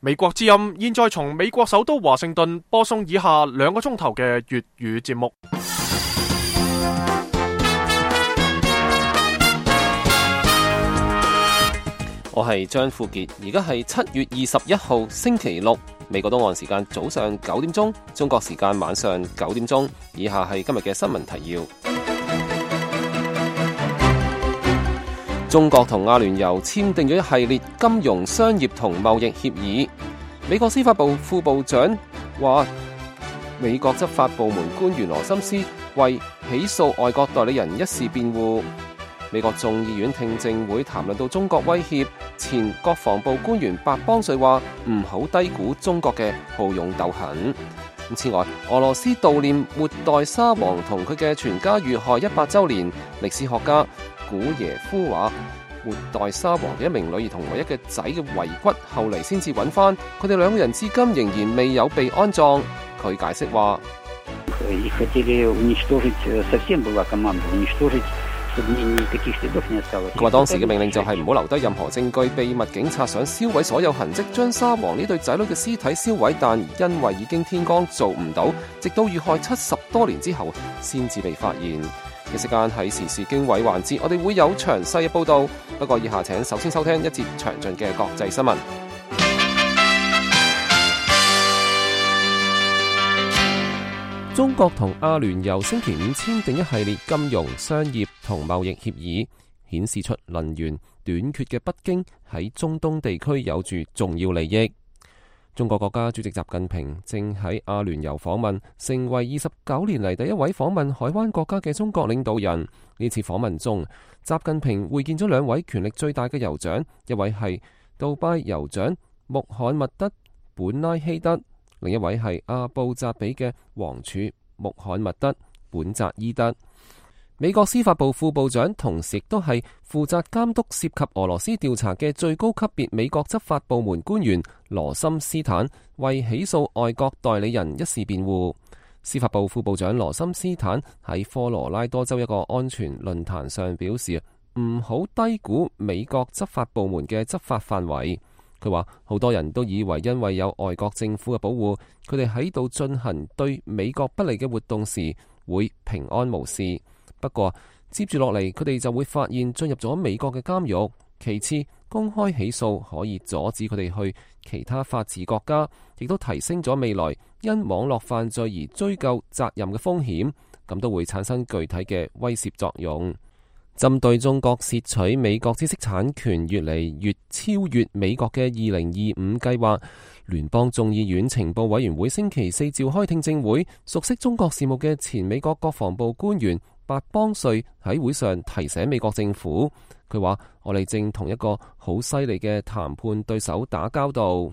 美國之音現在從美國首都華盛頓播送以下2個鐘頭嘅粵語節目。我係張富傑，而家係7月21號星期六，美國東岸時間早上9點鐘，中國時間晚上9點鐘。以下係今日嘅新聞提要。中國同阿聯酋簽訂咗一系列金融、商業同貿易協議。美國司法部副部長話，美國執法部門官員羅森斯為起訴外國代理人一事辯護。美國眾議院聽證會談論到中國威脅，前國防部官員白邦瑞話唔好低估中國嘅好勇鬥狠。此外，俄羅斯悼念末代沙皇同佢嘅全家遇害100週年，歷史學家古耶夫話，末代沙皇嘅一名女兒同唯一嘅仔嘅遺骨後嚟先至揾翻，佢哋2個人至今仍然未有被安葬。佢解釋話，佢話當時嘅命令就係唔好留低任何證據，秘密警察想燒毀所有痕跡，將沙皇呢對仔女嘅屍體燒毀，但因為已經天光做唔到，直到遇害70多年之後先至被發現。嘅時間喺時事經緯環節，我哋會有詳細嘅報導。不過以下請首先收聽一節詳盡嘅國際新聞。中國同阿聯酋星期5簽訂一系列金融、商業同貿易協議，顯示出能源短缺嘅北京喺中東地區有住重要利益。中國國家主席習近平正喺阿聯酋訪問，成為29年嚟第一位訪問海灣國家嘅中國領導人。呢次訪問中，習近平會見咗2位權力最大嘅酋長，一位係杜拜酋長穆罕默德本拉希德，另一位係阿布扎比嘅王儲穆罕默德本扎伊德。美國司法部副部長同時亦都係負責監督涉及俄羅斯調查嘅最高級別美國執法部門官員羅森斯坦為起訴外國代理人一事辯護。司法部副部長羅森斯坦喺科羅拉多州一個安全論壇上表示，唔好低估美國執法部門嘅執法範圍。佢話好多人都以為因為有外國政府嘅保護，佢哋喺度進行對美國不利嘅活動時會平安無事。不過接住落嚟，佢哋就會發現進入咗美國嘅監獄。其次，公開起訴可以阻止佢哋去其他法治國家，亦都提升咗未來因網絡犯罪而追究責任嘅風險，咁都會產生具體嘅威懾作用。針對中國竊取美國知識產權越嚟越超越美國嘅2025計劃，聯邦眾議院情報委員會星期4召開聽證會，熟悉中國事務嘅前美國國防部官員白邦瑞喺會上提醒美國政府，佢話我哋正同一個好犀利嘅談判對手打交道。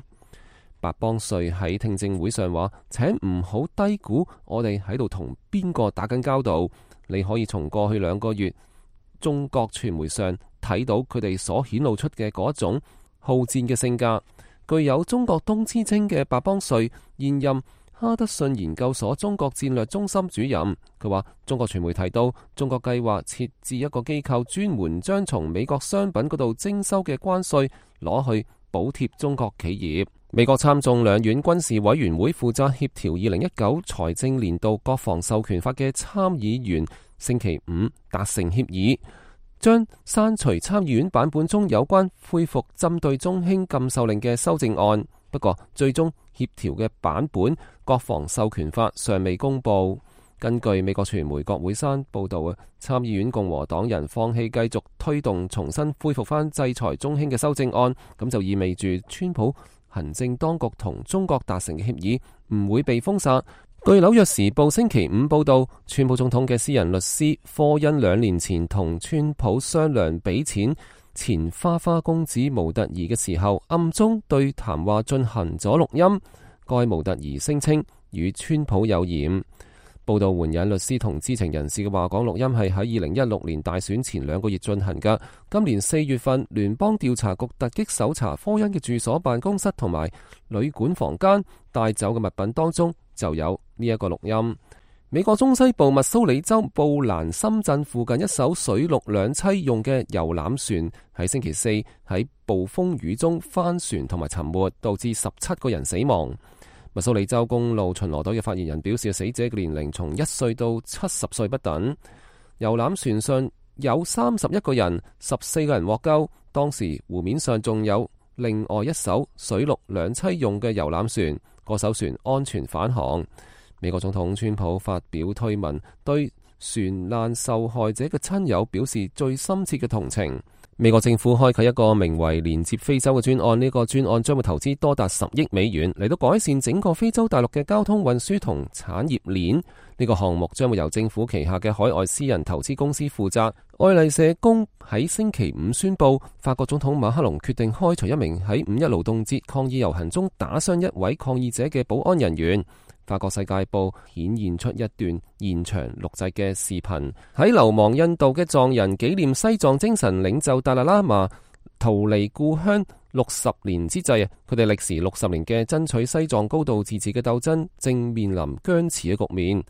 白邦瑞喺聽證會上話，請唔好低估我哋喺度同邊個打緊交道。你可以從過去2個月中國傳媒上睇到佢哋所顯露出嘅嗰種好戰嘅性格。具有中國東之稱嘅白邦瑞現任哈德遜研究所中國戰略中心主任，佢話中國傳媒提到中國計劃設置一個機構，專門將從美國商品嗰度徵收嘅關稅攞去補貼中國企業。美國參眾兩院軍事委員會負責協調2019財政年度國防授權法嘅參議員星期5達成協議，將刪除參議院版本中有關恢復針對中興禁售令嘅修正案。不過最終協調嘅版本國防授權法尚未公布。根據美國傳媒國會山報道，參議院共和黨人放棄繼續推動重新恢復翻制裁中興嘅修正案，咁就意味住川普行政當局同中國達成嘅協議唔會被封殺。據紐約時報星期5報道，川普總統嘅私人律師科恩2年前同川普商量俾錢前花花公子模特兒嘅時候，暗中對談話進行咗錄音。該模特兒聲稱與川普有染。報道援引律師同知情人士嘅話講，錄音係喺2016年大選前2個月進行㗎。今年4月份，聯邦調查局突擊搜查科恩嘅住所、辦公室同埋旅館房間，帶走嘅物品當中就有呢一個錄音。美國中西部密蘇里州布蘭森鎮附近一艘水陸兩棲用嘅遊覽船喺星期四喺暴風雨中翻船同埋沉沒，導致17個人死亡。密蘇里州公路巡邏隊嘅發言人表示，死者嘅年齡從1歲到70歲不等。遊覽船上有31個人，14個人獲救。當時湖面上仲有另外一艘水陸兩棲用嘅遊覽船，嗰艘船安全返航。美國總統川普發表推文，對船難受害者嘅親友表示最深切嘅同情。美國政府開啟一個名為連接非洲嘅專案，呢個專案將會投資多達10億美元嚟到改善整個非洲大陸嘅交通運輸同產業鏈。呢個項目將會由政府旗下嘅海外私人投資公司負責。愛麗舍宮喺星期五宣布，法國總統馬克龍決定開除一名喺5·1勞動節抗議遊行中打傷一位抗議者嘅保安人員。法國世界報顯現出一段現場錄製嘅視頻，喺流亡印度嘅藏人紀念西藏精神領袖達賴喇嘛逃離故鄉60年之際，佢哋歷時60年嘅爭取西藏高度自治嘅鬥爭正面臨僵持嘅局面。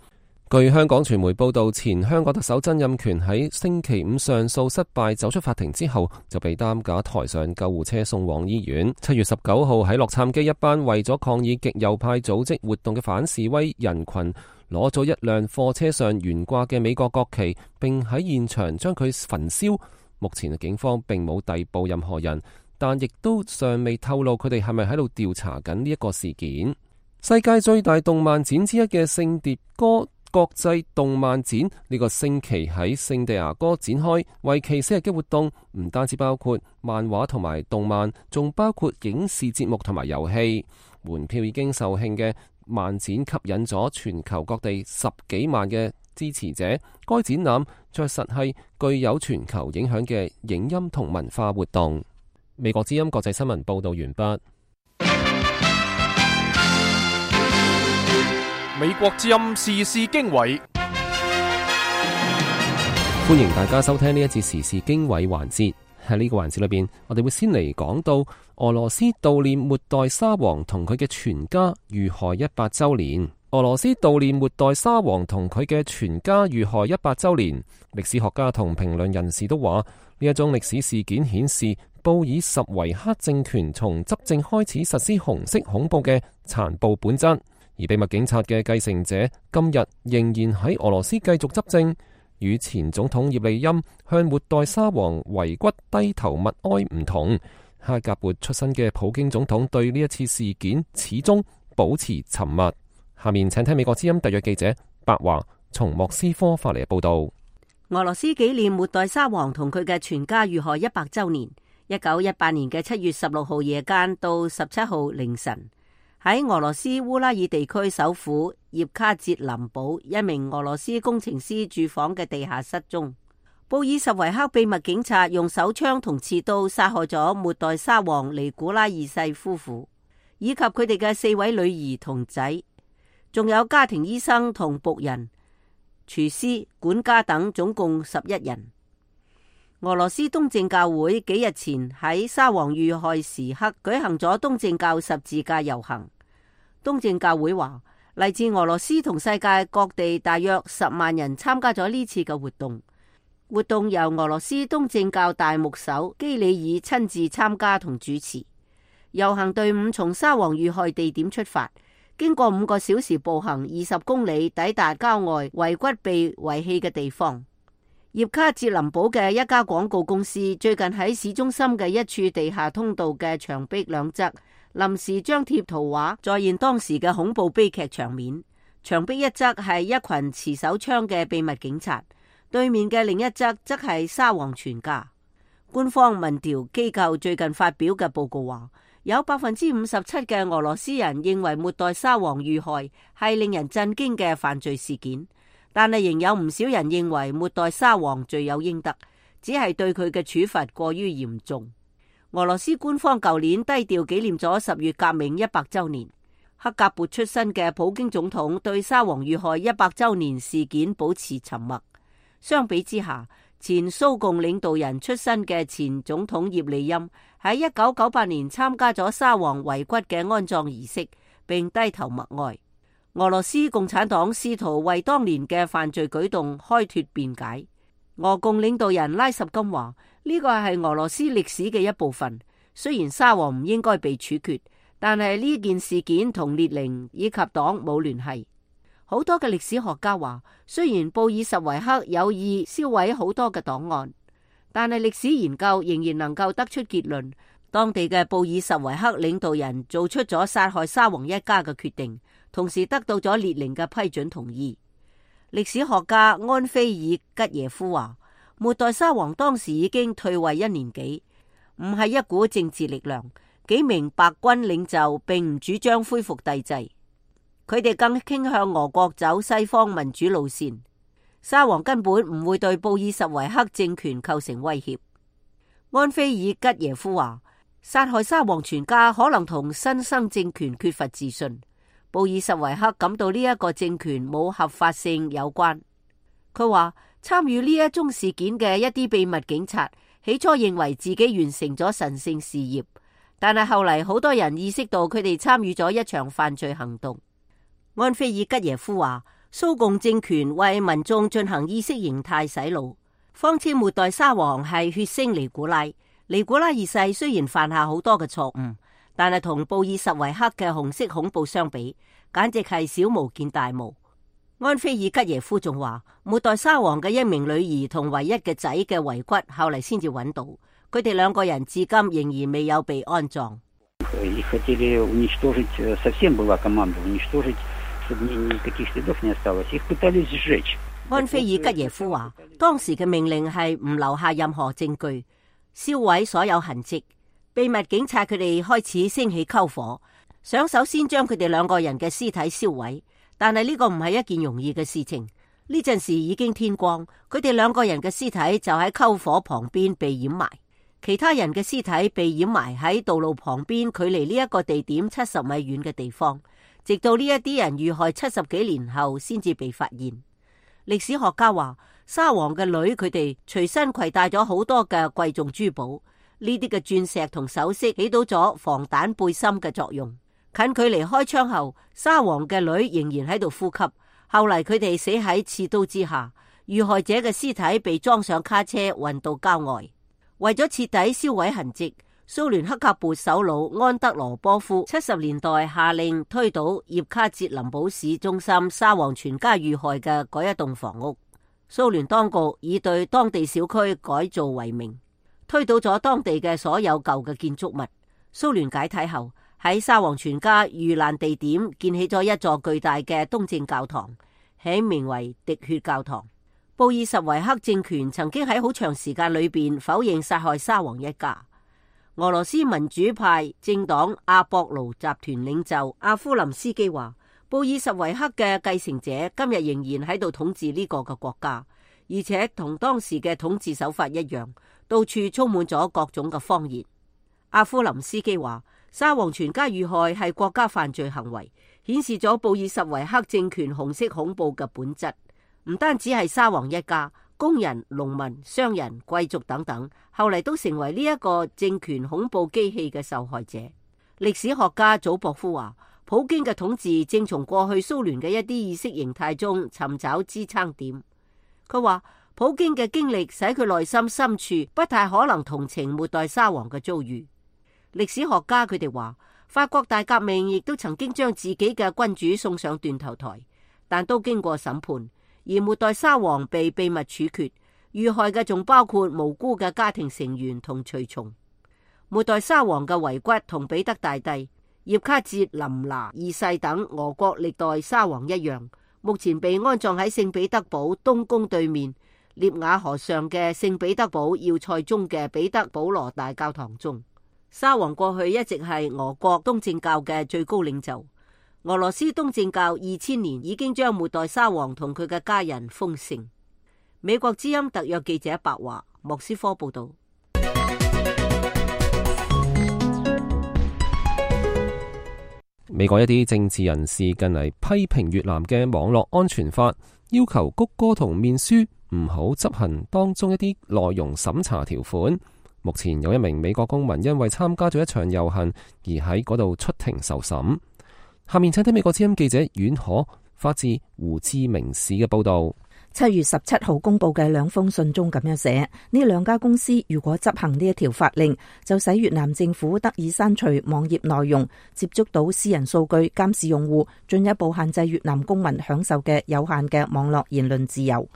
據香港傳媒報道，前香港特首曾蔭權喺星期五上訴失敗走出法庭之後，就被擔架抬上救護車送往醫院。7月19號喺洛杉磯，一班為咗抗議極右派組織活動嘅反示威人群攞咗一輛貨車上懸掛嘅美國國旗，並喺現場將佢焚燒。目前警方並冇逮捕任何人，但亦都尚未透露佢哋係咪喺度調查緊呢一個事件。世界最大動漫展之一嘅聖迭戈國際動漫展呢個星期喺聖地牙哥展開，為期4日嘅活動唔單止包括漫畫同埋動漫，仲包括影視節目同埋遊戲。門票已經售罄嘅漫展吸引咗全球各地10幾萬嘅支持者。該展覽確實係具有全球影響嘅影音同文化活動。美國之音國際新聞報道完畢。美國之音時事經緯，歡迎大家收聽呢一節時事經緯環節。喺呢個環節裏邊，我哋會先嚟講到俄羅斯悼念末代沙皇同佢嘅全家遇害100週年。俄羅斯悼念末代沙皇同佢嘅全家遇害100週年。歷史學家同評論人士都話，呢一宗歷史事件顯示布爾什維克政權從執政開始實施紅色恐怖嘅殘暴本質。而秘密警察嘅繼承者今日仍然喺俄羅斯繼續執政，與前總統葉利欽向末代沙皇遺骨低頭默哀唔同。哈格勃出身嘅普京總統對呢一次事件始終保持沉默。下面請聽美國之音特約記者白華從莫斯科發嚟嘅報道。俄羅斯紀念末代沙皇同佢嘅全家遇害100週年。1918年嘅7月16號夜間到17號凌晨，喺俄羅斯烏拉爾地區首府葉卡捷林堡，一名俄羅斯工程師住房嘅地下室中，布爾什維克秘密警察用手槍同刺刀殺害咗末代沙皇尼古拉二世夫婦，以及佢哋嘅4位女兒同仔，仲有家庭醫生同僕人、廚師、管家等，總共11人。俄羅斯東正教會幾日前喺沙皇遇害時刻舉行咗東正教十字架遊行。東正教會話，嚟自俄羅斯同世界各地大約10萬人參加咗呢次嘅活動。活動由俄羅斯東正教大牧首基里爾親自參加同主持。遊行隊伍從沙皇遇害地點出發，經過5個小時步行20公里，抵達郊外遺骨被遺棄嘅地方。葉卡捷林堡嘅一家廣告公司最近喺市中心嘅一處地下通道嘅牆壁兩側臨時張貼圖畫，再現當時嘅恐怖悲劇場面。牆壁一側係一群持手槍嘅秘密警察，對面嘅另一側則係沙皇全家。官方民調機構最近發表嘅報告話，有57%嘅俄羅斯人認為末代沙皇遇害係令人震驚嘅犯罪事件。但係仍有唔少人認為末代沙皇罪有應得，只係對佢嘅處罰過於嚴重。俄羅斯官方舊年低調紀念咗10月革命100週年。克格勃出身嘅普京總統對沙皇遇害100週年事件保持沉默。相比之下，前蘇共領導人出身嘅前總統葉利欽喺1998年參加咗沙皇遺骨嘅安葬儀式，並低頭默哀。俄羅斯共產黨試圖為當年嘅犯罪舉動開脫辯解。俄共領導人拉什金話：呢個係俄羅斯歷史嘅一部分。雖然沙皇唔應該被處決，但係呢件事件同列寧以及黨冇聯繫。好多嘅歷史學家話，雖然布爾什維克有意銷毀好多嘅檔案，但係歷史研究仍然能夠得出結論，當地嘅布爾什維克領導人做出咗殺害沙皇一家嘅決定，同時得到咗列寧嘅批准同意。歷史學家安菲爾吉耶夫話，末代沙皇當時已經退位1年幾，唔係一股政治力量，幾名白軍領袖並唔主張恢復帝制，佢哋更傾向俄國走西方民主路線。沙皇根本唔會對布爾什維克政權構成威脅。安菲爾吉耶夫話，殺害沙皇全家可能同新生政權缺乏自信，布爾什維克感到呢一個政權冇合法性有關。佢話，參與呢一宗事件嘅一啲秘密警察起初認為自己完成咗神聖事業，但係後嚟好多人意識到佢哋參與咗一場犯罪行動。安菲爾吉耶夫話，蘇共政權為民眾進行意識形態洗腦，謊稱末代沙皇係血腥尼古拉。尼古拉二世雖然犯下好多嘅錯誤，但係同布爾什維克嘅紅色恐怖相比，簡直係小巫見大巫。安菲爾吉耶夫仲話，末代沙皇嘅一名女兒同唯一嘅仔嘅遺骨後嚟先至揾到，佢哋兩個人至今仍然未有被安葬。安菲爾吉耶夫話，當時嘅命令係唔留下任何證據，燒毀所有痕跡。秘密警察佢哋開始升起篝火，想首先將佢哋兩個人嘅屍體燒毀。但係呢個唔係一件容易嘅事情。呢陣時已經天光，佢哋兩個人嘅屍體就喺篝火旁邊被掩埋，其他人嘅屍體被掩埋喺道路旁邊，距離呢一個地點70米遠嘅地方，直到呢一啲人遇害70幾年後先至被發現。歷史學家話，沙皇嘅女佢哋隨身攜帶咗好多嘅貴重珠寶，呢啲嘅鑽石同首飾起到咗防彈背心嘅作用。近距離開槍後，沙皇嘅女仍然喺度呼吸。後嚟佢哋死喺刺刀之下，遇害者嘅屍體被裝上卡車運到郊外。為咗徹底銷毀痕跡，蘇聯黑格勃首腦安德羅波夫70年代下令推倒葉卡捷林堡市中心沙皇全家遇害嘅嗰一棟房屋。蘇聯當局以對當地小區改造為名，推倒咗當地嘅所有舊嘅建築物。蘇聯解體後，喺沙皇全家遇難地點建起咗一座巨大嘅東正教堂，起名為滴血教堂。布爾什維克政權曾經喺好長時間裏邊否認殺害沙皇一家。俄羅斯民主派政黨阿博盧集團領袖阿夫林斯基話，布爾什維克嘅繼承者今日仍然喺度統治呢個嘅國家，而且同當時嘅統治手法一樣，到處充滿咗各種嘅謊言。阿夫林斯基話，沙皇全家遇害係國家犯罪行為，顯示咗布爾什維克政權紅色恐怖嘅本質。唔單止係沙皇一家，工人、農民、商人、貴族等等，後嚟都成為呢一個政權恐怖機器嘅受害者。歷史學家祖博夫話，普京嘅統治正從過去蘇聯嘅一啲意識形態中尋找支撐點。佢話，普京嘅經歷使佢內心深處不太可能同情末代沙皇嘅遭遇。歷史學家佢哋話，法國大革命亦都曾經將自己嘅君主送上斷頭台，但都經過審判。而末代沙皇被秘密處決，遇害嘅仲包括無辜嘅家庭成員同隨從。末代沙皇嘅遺骨同彼得大帝、葉卡捷琳娜二世等俄國歷代沙皇一樣，目前被安葬喺聖彼得堡東宮對面涅瓦河上嘅聖彼得堡要塞中嘅彼得保羅大教堂中。沙皇過去一直係俄國東正教嘅最高領袖。俄羅斯東正教2000年已經將末代沙皇同佢嘅家人封聖。美國之音特約記者白華，莫斯科報道。美國一啲政治人士近嚟批評越南嘅網絡安全法，要求谷歌同面書唔好執行當中一啲內容審查條款。目前有一名美國公民因為參加咗一場遊行而喺嗰度出庭受審。下面請聽美國之音記者阮可發自胡志明市嘅報道。7月17號公布嘅兩封信中咁樣寫，呢兩家公司如果執行呢一條法令，就使越南政府得以刪除網頁內容，接觸到私人數據，監視用戶，進一步限制越南公民享受嘅有限嘅網絡言論自由。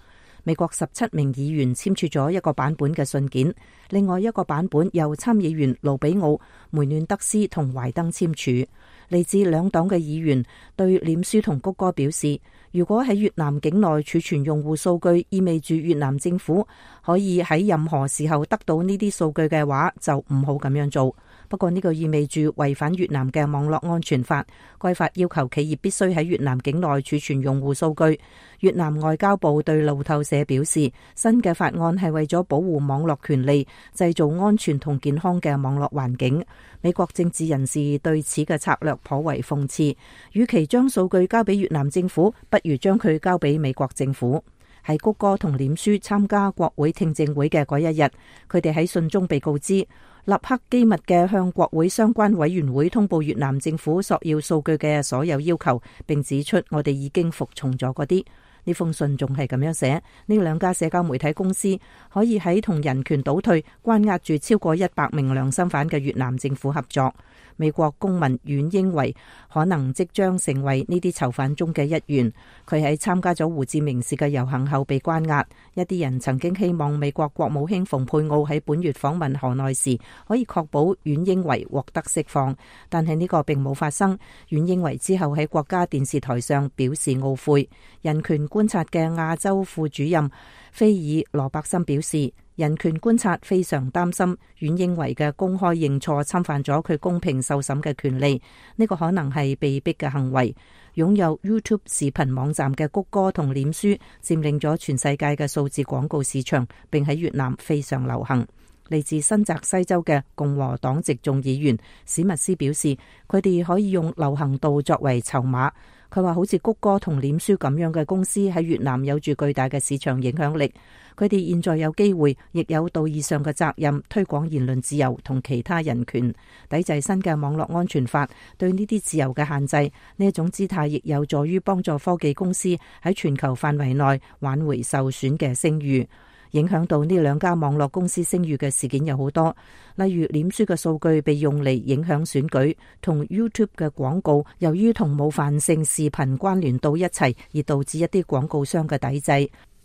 美國17名議員簽署咗一個版本嘅信件，另外一個版本由參議員盧比奧、梅嫩德斯同懷登簽署。嚟自兩黨嘅議員對臉書同谷歌表示，如果喺越南境內儲存用戶數據，意味住越南政府可以喺任何時候得到呢啲數據嘅話，就唔好咁樣做。不過呢個意味住違反越南嘅網絡安全法，該法要求企業必須喺越南境內儲存用戶數據。越南外交部對路透社表示，新嘅法案係為咗保護網絡權利，製造安全同健康嘅網絡環境。美國政治人士對此嘅策略頗為諷刺，與其將數據交俾越南政府，不如將佢交俾美國政府。喺谷歌同臉書參加國會聽證會嘅嗰一日，佢哋喺信中被告知，立刻機密嘅向國會相關委員會通報越南政府索要數據嘅所有要求，並指出我哋已經服從咗嗰啲。呢封信仲係咁樣寫，呢兩家社交媒體公司可以喺同人權倒退、關押住超過100名良心犯嘅越南政府合作。美國公民阮英維可能即將成為呢啲囚犯中嘅一員。佢喺參加咗胡志明市嘅遊行後被關押。一啲人曾經希望美國國務卿蓬佩奧喺本月訪問河內時可以確保阮英維獲得釋放，但係呢個並冇發生。阮英維之後喺國家電視台上表示懊悔。人權觀察嘅亞洲副主任菲爾羅伯森表示，人權觀察非常擔心阮英維嘅公開認錯侵犯咗佢公平受審嘅權利，呢個可能係被逼嘅行為。擁有 YouTube 視頻網站嘅谷歌同臉書佔領咗全世界嘅數字廣告市場，並喺越南非常流行。嚟自新澤西州嘅共和黨籍眾議員史密斯表示，佢哋可以用流行度作為籌碼。佢話好似谷歌同臉書咁樣嘅公司喺越南有住巨大嘅市場影響力，佢哋現在有機會，亦有道義上嘅責任推廣言論自由同其他人權，抵制新嘅網絡安全法對呢啲自由嘅限制。呢一種姿態亦有助於幫助科技公司喺全球範圍內挽回受損嘅聲譽。影響到呢兩家網絡公司聲譽嘅事件有好多，例如臉書嘅數據被用嚟影響選舉，同 YouTube 嘅廣告由於同冒犯性視頻關聯到一齊，而導致一啲廣告商嘅抵制。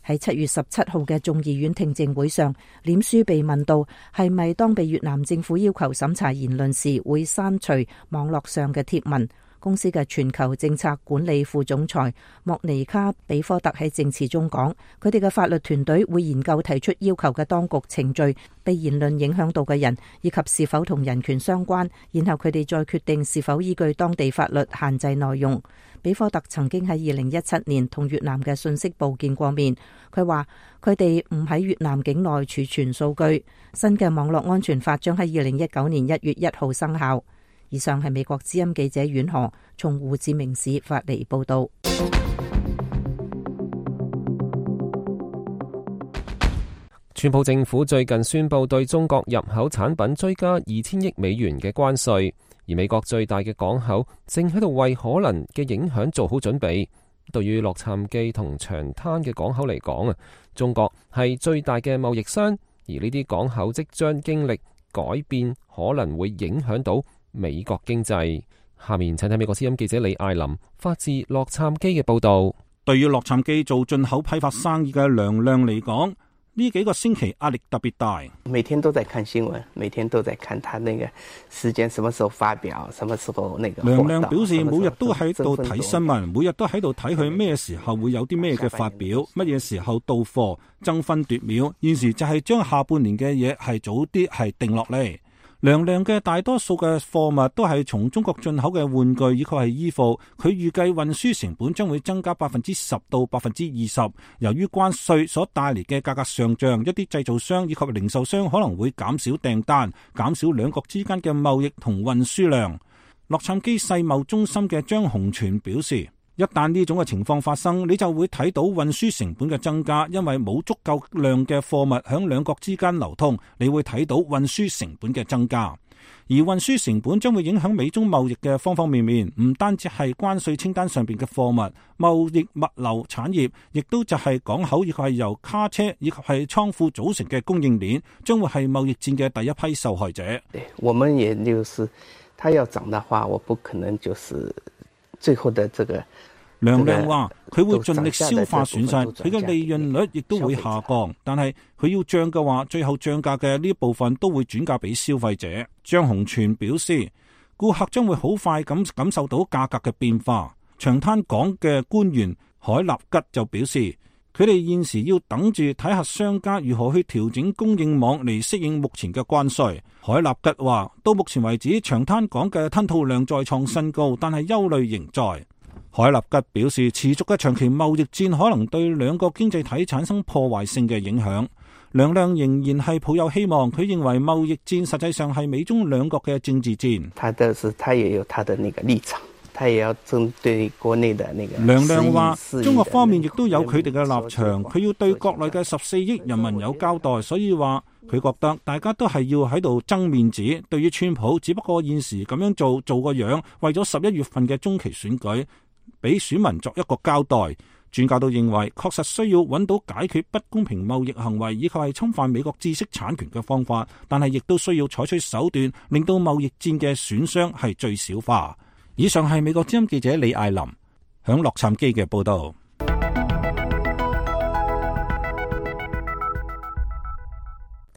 喺7月17號嘅眾議院聽證會上，臉書被問到係咪當被越南政府要求審查言論時會刪除網絡上嘅貼文。公司嘅全球政策管理副總裁莫尼卡比科特喺證詞中講，佢哋嘅法律團隊會研究提出要求嘅當局程序、被言論影響到嘅人，以及是否同人權相關，然後佢哋再決定是否依據當地法律限制內容。比科特曾經喺2017年同越南嘅信息部見過面，佢話佢哋唔喺越南境內儲存數據。新嘅網絡安全法將喺2019年1月1號生效。以上係美國之音記者阮河從胡志明市發嚟報道。川普政府最近宣布對中國入口產品追加2000億美元嘅關稅，而美國最大嘅港口正喺度為可能嘅影響做好準備。對於洛杉磯同長灘嘅港口嚟講啊，中國係最大嘅貿易商，而呢啲港口即將經歷改變，可能會影響到美國經濟。下面請睇美國之音記者李艾琳發自洛杉磯嘅報道。對於洛杉磯做進口批發生意嘅梁亮嚟講，呢幾個星期壓力特別大。每天都在看新聞，每天都在看他那個時間什麼時候發表，什麼時候那個。梁亮表示每日都喺度睇新聞，每日都喺度睇佢咩時候會有啲咩嘅發表，乜嘢時候到貨，爭分奪秒。現時就係將下半年嘅嘢係早啲係定落嚟。梁亮嘅大多數嘅貨物都係從中國進口嘅玩具以及係衣服，佢預計運輸成本將會增加10%到20%。由於關稅所帶嚟嘅價格上漲，一啲製造商以及零售商可能會減少訂單，減少兩國之間嘅貿易同運輸量。洛杉磯世貿中心嘅張洪全表示，一旦呢種嘅情況發生，你就會睇到運輸成本嘅增加，因為冇足夠量嘅貨物響兩國之間流通，你會睇到運輸成本嘅增加。而運輸成本將會影響美中貿易嘅方方面面，唔單止係關稅清單上邊嘅貨物，貿易物流產業，亦都就係港口，以及係由卡車以及係倉庫組成嘅供應鏈，將會係貿易戰嘅第一批受害者。我們也就是，它要漲的話，我不可能就是最後的這個。梁亮話佢會盡力消化損失，佢嘅利潤率亦都會下降，但係佢要漲嘅話，最後漲價嘅呢一部分都會轉嫁俾消費者。張洪全表示，顧客將會好快咁感受到價格嘅變化。長灘港嘅官員海立吉就表示，佢哋現時要等住睇下商家如何去調整供應網嚟適應目前嘅關稅。海立吉話，到目前為止，長灘港嘅吞吐量再創新高，但係憂慮仍在。海立吉表示，持續嘅長期貿易戰可能對兩個經濟體產生破壞性嘅影響。梁亮仍然係抱有希望，佢認為貿易戰實際上係美中兩國嘅政治戰。他也有他的那個立場，他也要針對國內的那個。梁亮話，中國方面亦都有佢哋嘅立場，佢要對國內嘅14億人民有交代，所以話佢覺得大家都係要喺度爭面子。對於川普，只不過現時咁樣做個樣，為咗11月份嘅中期選舉，俾選民作一個交代。專家都認為，確實需要揾到解決不公平貿易行為以及係侵犯美國知識產權嘅方法，但係亦都需要採取手段，令到貿易戰嘅損傷係最小化。以上係美國之音記者李艾琳響洛杉磯嘅報道。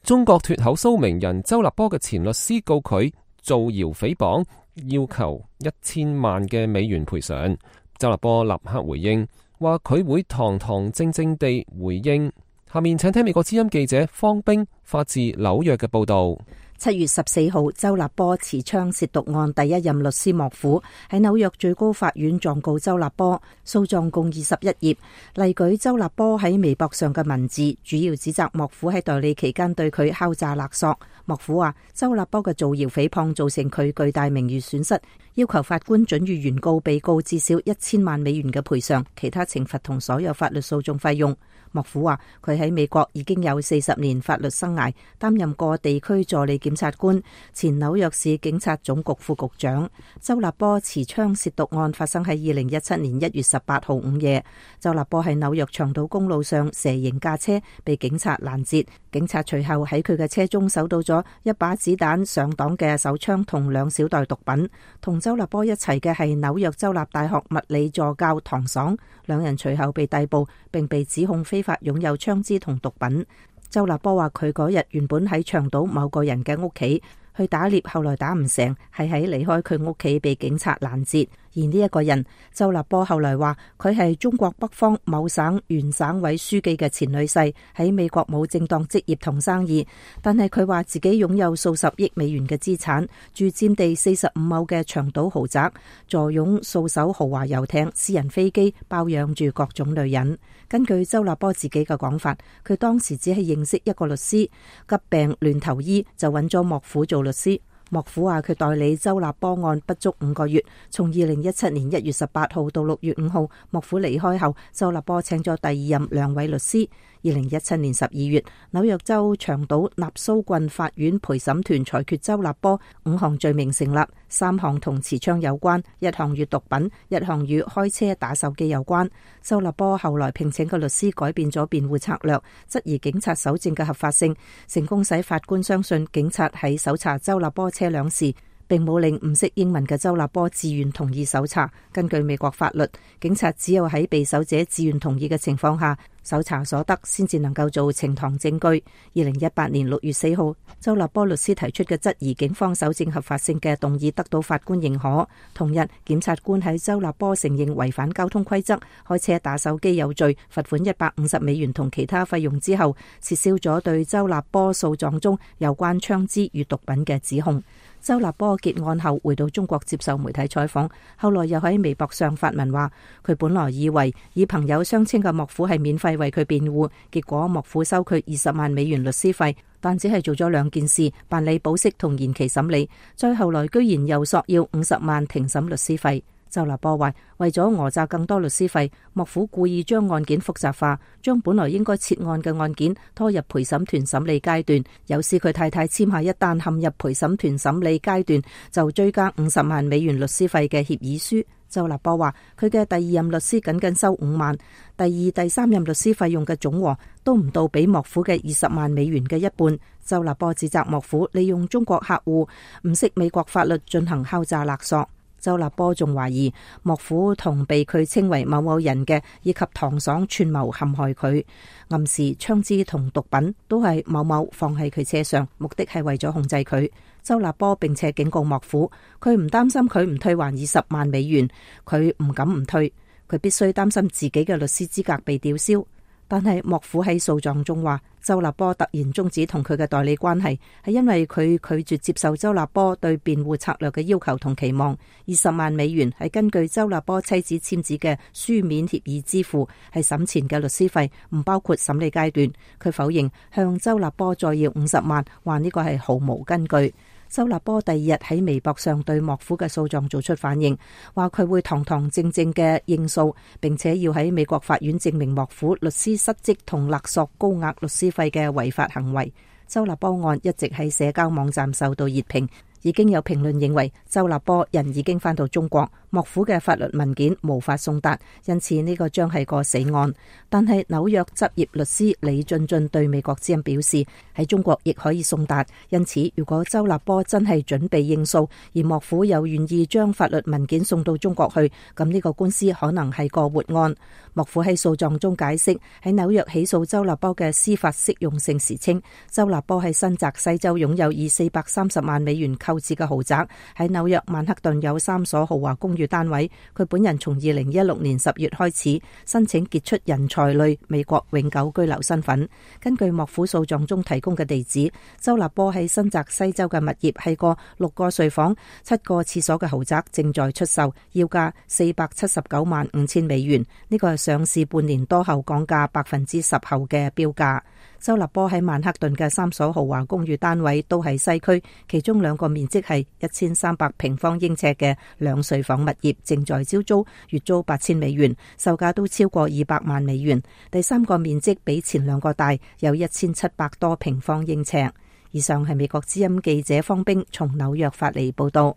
中國脫口騷名人周立波嘅前律師告佢造謠誹謗，要求1000萬嘅美元賠償。周立波立刻回應，話佢會堂堂正正地回應。下面請聽美國之音記者方冰發自紐約嘅報道。7月14號，周立波持槍褻瀆案第一任律師莫虎喺紐約最高法院狀告周立波，訴狀共21頁，例舉周立波喺微博上嘅文字，主要指責莫虎喺代理期間對佢敲詐勒索。莫虎話周立波嘅造謠誹謗造成佢巨大名譽損失，要求法官准予原告被告至少1000萬美元嘅賠償，其他懲罰同所有法律訴訟費用。莫虎話佢喺美國已經有40年法律生涯，擔任過地區助理檢察官、前紐約市警察總局副局長。周立波持槍褻瀆案發生喺2017年1月18號午夜。周立波喺紐約長島公路上蛇形駕車被警察攔截，警察隨後喺佢嘅車中搜到咗一把子彈上擋嘅手槍同2小袋毒品。同周立波一齊嘅係紐約州立大學物理助教唐爽，兩人隨後被逮捕，並被指控非法擁有槍支同毒品。周立波話佢嗰日原本喺長島某個人嘅屋企去打獵，後來打唔成，係喺離開佢屋企被警察攔截。而呢一個人，周立波後來話佢係中國北方某省原省委書記嘅前女婿，喺美國冇正當職業同生意，但係佢話自己擁有數十億美元嘅資產，住佔地45畝嘅長島豪宅，坐擁數艘豪華遊艇、私人飛機，包養住各種女人。根據周立波自己嘅講法，佢當時只係認識一個律師，急病亂投醫就揾咗莫虎做律師。莫虎話佢代理周立波案不足5個月，從2017年1月18號到6月5號，莫虎離開後，周立波請咗第二任2位律師。2017年12月，紐約州長島納蘇郡法院陪審團裁決周立波5項罪名成立，3項同持槍有關，1項與毒品，1項與開車打手機有關。周立波後來聘請嘅律師改變咗辯護策略，質疑警察搜證嘅合法性，成功使法官相信警察喺搜查周立波車輛時，並冇令唔識英文嘅周立波自願同意搜查。根據美國法律，警察只有喺被搜者自願同意嘅情況下，搜查所得先至能夠做呈堂證據。2018年6月4號，周立波律師提出嘅質疑警方搜證合法性嘅動議得到法官認可。同日，檢察官喺周立波承認違反交通規則、開車打手機有罪，罰款150美元同其他費用之後，撤銷咗對周立波訴狀中有關槍支與毒品嘅指控。周立波結案後回到中國接受媒體採訪，後來又喺微博上發文話，佢本來以為以朋友相稱嘅莫虎係免費為佢辯護，結果莫虎收佢20萬美元律師費，但只係做咗2件事，辦理保釋同延期審理，再後來居然又索要50萬庭審律師費。周立波話，為咗訛詐更多律師費，幕府故意將案件複雜化，將本來應該撤案嘅案件拖入陪審團審理階段，有時佢太太簽下一旦陷入陪審團審理階段就追加50萬美元律師費嘅協議書。周立波話，佢嘅第二任律師僅僅收5萬，第二、第三任律師費用嘅總和都唔到比幕府嘅20萬美元嘅一半。周立波指責幕府利用中國客戶唔識美國法律進行敲詐勒索。周立波仲懷疑幕府同被佢稱為某某人嘅以及唐爽串謀陷害佢，暗示槍支同毒品都係某某放喺佢車上，目的係為咗控制佢。周立波並且警告幕府，佢唔擔心佢唔退還20萬美元，佢唔敢唔退，佢必須擔心自己嘅律師資格被吊銷。但係幕府喺訴狀中話，周立波突然終止同佢嘅代理關係，係因為佢拒絕接受周立波對辯護策略嘅要求同期望。20萬美元係根據周立波妻子簽字嘅書面協議支付，係審前嘅律師費，唔包括審理階段。佢否認向周立波再要50萬，話呢個係毫無根據。周立波第二日喺微博上對幕府嘅訴狀做出反應，話佢會堂堂正正嘅應訴，並且要喺美國法院證明幕府律師失職同勒索高額律師費嘅違法行為。周立波案一直喺社交網站受到熱評，已經有評論認為周立波人已經返到中國，幕府嘅法律文件無法送達，因此呢個將係個死案。但係紐約執業律師李俊俊對美國之音表示，喺中國亦可以送達，因此如果周立波真係準備應訴，而幕府又願意將法律文件送到中國去，咁呢個官司可能係個活案。幕府喺訴狀中解釋，喺紐約起訴周立波嘅司法適用性時稱，周立波喺新澤西州擁有以430萬美元購置嘅豪宅，喺紐約曼克頓有3所豪華公寓單位。佢本人從2016年10月開始申請傑出人才類美國永久居留身份。根據幕府訴狀中提供嘅地址，周立波喺新澤西州嘅物業係個6個睡房、7個廁所嘅豪宅，正在出售，要價479萬5千美元。呢個係上市半年多後降價10%後嘅標價。周立波喺曼克頓嘅3所豪華公寓單位都喺西區，其中2個面積係1300平方英尺嘅2睡房物業正在招租，月租8000美元，售價都超過200萬美元。第3個面積比前2個大，有1700多平方英尺。以上係美國之音記者方冰從紐約發嚟報道。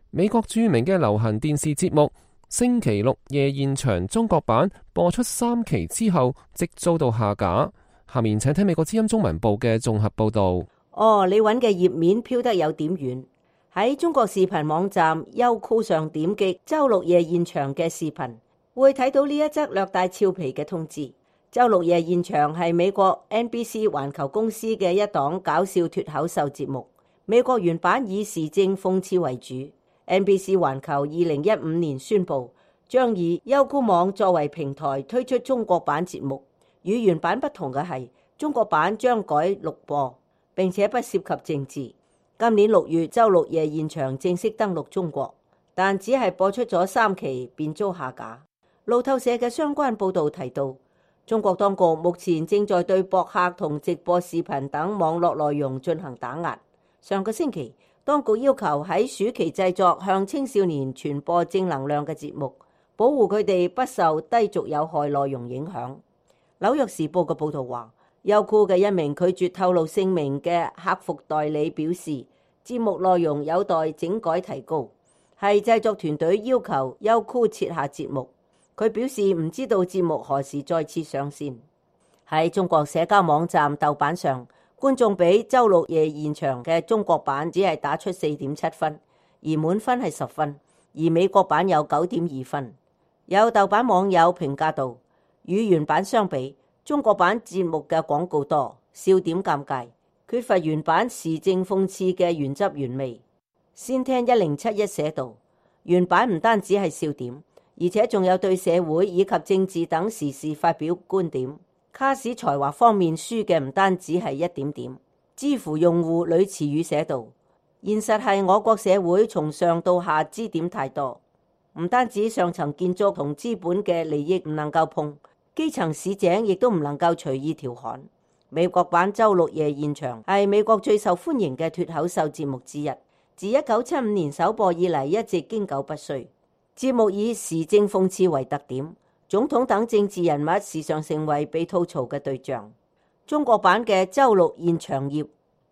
美國著名嘅流行電視節目星期六夜現場中國版播出3期之後，即遭到下架。下面請聽美國之音中文部嘅綜合報道。你揾嘅頁面飄得有點遠。喺中國視頻網站優酷上點擊周六夜現場嘅視頻，會睇到呢一則略帶俏皮嘅通知。周六夜現場係美國 NBC 環球公司嘅一檔搞笑脫口秀節目。美國原版以時政諷刺為主。NBC 環球2015年宣布將以優酷網作為平台推出中國版節目。與原版不同嘅係，中國版將改錄播，並且不涉及政治。今年6月，周六夜現場正式登陸中國，但只係播出咗3期便遭下架。路透社嘅相關報導提到，中國當局目前正在對博客同直播視頻等網絡內容進行打壓。上個星期，當局要求喺暑期製作向青少年傳播正能量嘅節目，保護佢哋不受低俗有害內容影響。紐約時報嘅報導話，優酷嘅一名拒絕透露姓名嘅客服代理表示，節目內容有待整改提高，係製作團隊要求優酷撤下節目。佢表示唔知道節目何時再次上線。喺中國社交網站豆瓣上，觀眾俾周六夜現場嘅中國版只係打出4.7分，而滿分係10分，而美國版有9.2分。有豆瓣網友評價道，與原版相比，中國版節目嘅廣告多，笑點尷尬，缺乏原版時政諷刺嘅原汁原味。先聽1071寫道，原版唔單止係笑點，而且仲有對社會以及政治等時事發表觀點。卡士才華方面輸嘅唔單止係一點點。知乎用戶呂慈宇寫道，現實係我國社會從上到下支點太多，唔單止上層建築同資本嘅利益唔能夠碰，基層市井亦都唔能夠隨意調侃。美國版周六夜現場係美國最受歡迎嘅脫口秀節目之一，自1975年首播以嚟一直經久不衰。節目以時政諷刺為特點，總統等政治人物時常成為被吐槽嘅對象。中國版嘅周六現場頁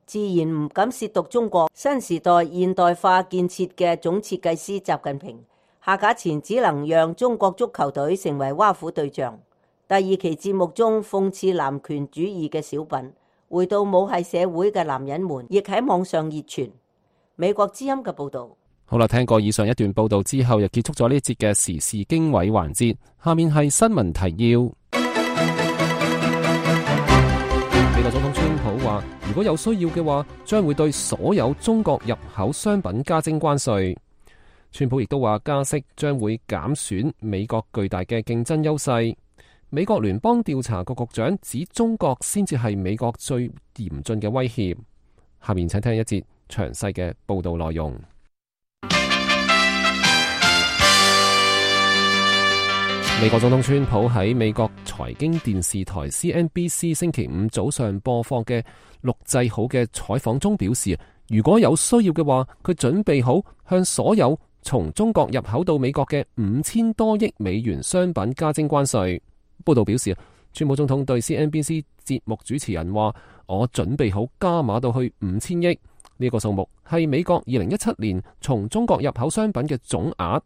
自然唔敢褻瀆中國新時代現代化建設嘅總設計師習近平，下架前只能讓中國足球隊成為挖苦對象。第二期節目中諷刺男權主義嘅小品，回到母系社會嘅男人們，亦喺網上熱傳。美國之音嘅報道。好啦，聽過以上一段報道之後，又結束咗呢一節嘅時事經緯環節。下面係新聞提要。美國總統川普話，如果有需要嘅話，將會對所有中國入口商品加徵關稅。川普亦都話，加息將會減損美國巨大嘅競爭優勢。美國聯邦調查局局長指中國先至係美國最嚴峻嘅威脅。下面請聽一節詳細嘅報道內容。美國總統川普喺美國財經電視台 CNBC 星期五早上播放嘅錄製好嘅採訪中表示，如果有需要嘅話，佢準備好向所有從中國入口到美國嘅5000多億美元商品加徵關稅。報道表示，川普總統對 CNBC 節目主持人話，我準備好加碼到去5000億，呢個數目係美國2017年從中國入口商品嘅總額。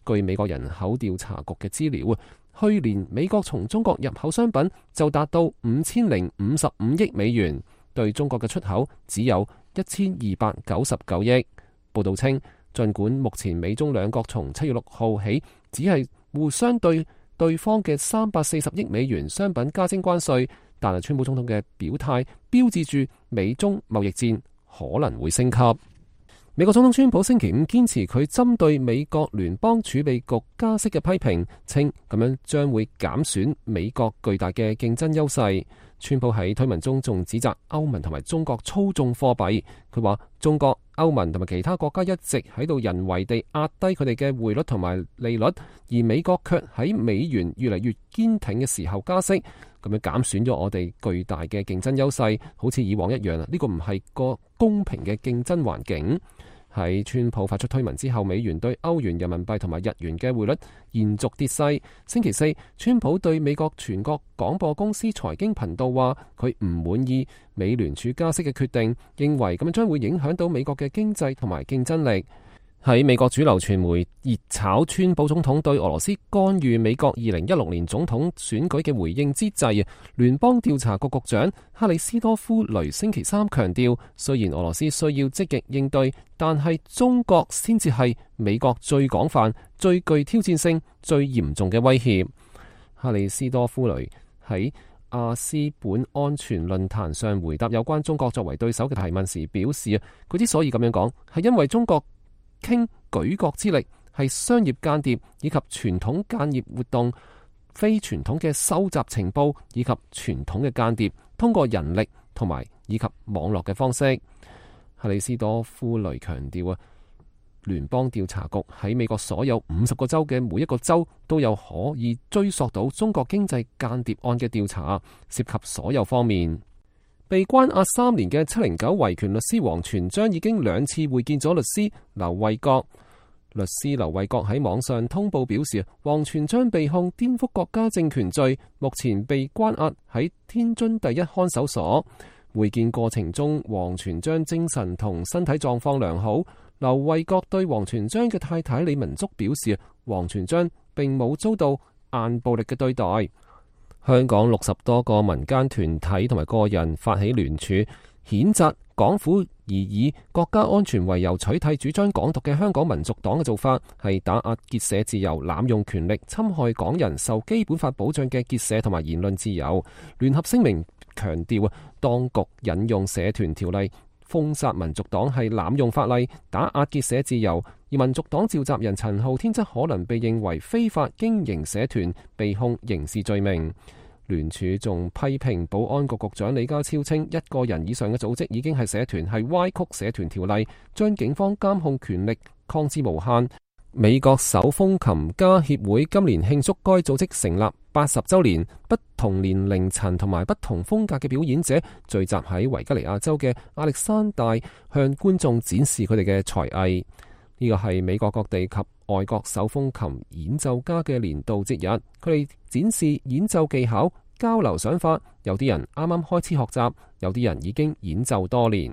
據美國人口調查局嘅資料，去年美國從中國入口商品就達到5055億美元，對中國嘅出口只有1299億。報道稱，儘管目前美中兩國從7月6號起只係互相對方嘅340億美元商品加徵關稅，但係川普總統嘅表態標誌住美中貿易戰可能會升級。美國總統川普星期五堅持佢針對美國聯邦儲備局加息嘅批評，稱咁樣將會減損美國巨大嘅競爭優勢。川普喺推文中仲指責歐盟同埋中國操縱貨幣，佢話中國、歐盟同埋其他國家一直喺度人為地壓低佢哋嘅匯率同埋利率，而美國卻喺美元越嚟越堅挺嘅時候加息，咁樣減損咗我哋巨大嘅競爭優勢，好似以往一樣。呢個唔係個公平嘅競爭環境。喺川普發出推文之後，美元對歐元、人民幣同埋日元嘅匯率延續跌勢。星期四，川普對美國全國廣播公司財經頻道話，佢唔滿意美聯儲加息嘅決定，認為咁樣將會影響到美國嘅經濟同埋競爭力。喺美國主流傳媒熱炒川普總統對俄羅斯干預美國2016年總統選舉嘅回應之際，聯邦調查局局長克里斯多夫雷星期三強調，雖然俄羅斯需要積極應對，但係中國先至係美國最廣泛、最具挑戰性、最嚴重嘅威脅。克里斯多夫雷喺亞斯本安全論壇上回答有關中國作為對手嘅提問時表示，佢之所以咁樣講，係因為中國傾舉國之力，係商業間諜以及傳統間諜活動、非傳統嘅收集情報以及傳統嘅間諜通過人力同埋以及網絡嘅方式。克里斯多夫雷強調聯邦調查局喺美國所有50個州嘅每一個州都有可以追溯到中國經濟間諜案嘅調查，涉及所有方面。被關押3年嘅709維權律師王全璋已經2次會見咗律師劉衛國。律師劉衛國喺網上通報表示，王全璋被控顛覆國家政權罪，目前被關押喺天津第一看守所。會見過程中，王全璋精神同身體狀況良好。劉衛國對王全璋嘅太太李文竹表示，王全璋並冇遭到硬暴力嘅對待。香港60多個民間團體同埋個人發起聯署，譴責港府以國家安全為由取締主張港獨嘅香港民族黨嘅做法，係打壓結社自由、濫用權力、侵害港人受基本法保障嘅結社同埋言論自由。聯合聲明強調，當局引用社團條例封殺民族黨係濫用法例，打壓結社自由。而民族黨召集人陳浩天則可能被認為非法經營社團，被控刑事罪名。聯署仲批評保安局局長李家超稱，1個人以上嘅組織已經係社團，係歪曲社團條例，將警方監控權力擴至無限。美國手風琴家協會今年慶祝該組織成立80週年，不同年齡層同埋不同風格嘅表演者聚集喺維吉尼亞州嘅亞歷山大，向觀眾展示佢哋嘅才藝。呢個係美國各地及外國手風琴演奏家嘅年度節日，佢哋展示演奏技巧，交流想法。有啲人啱啱開始學習，有啲人已經演奏多年。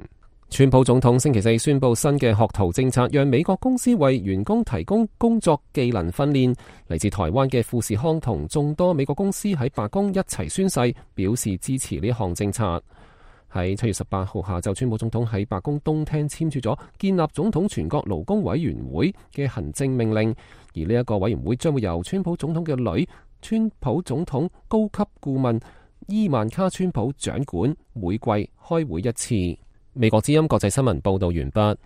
川普總統星期四宣布新嘅學徒政策，讓美國公司為員工提供工作技能訓練。嚟自台灣嘅富士康同眾多美國公司喺白宮一齊宣誓，表示支持呢項政策。喺7月18號下晝，川普總統喺白宮東廳簽署咗建立總統全國勞工委員會嘅行政命令，而呢一個委員會將會由川普總統嘅女，川普總統高級顧問伊萬卡川普掌管，每季開會一次。美國之音國際新聞報道完畢。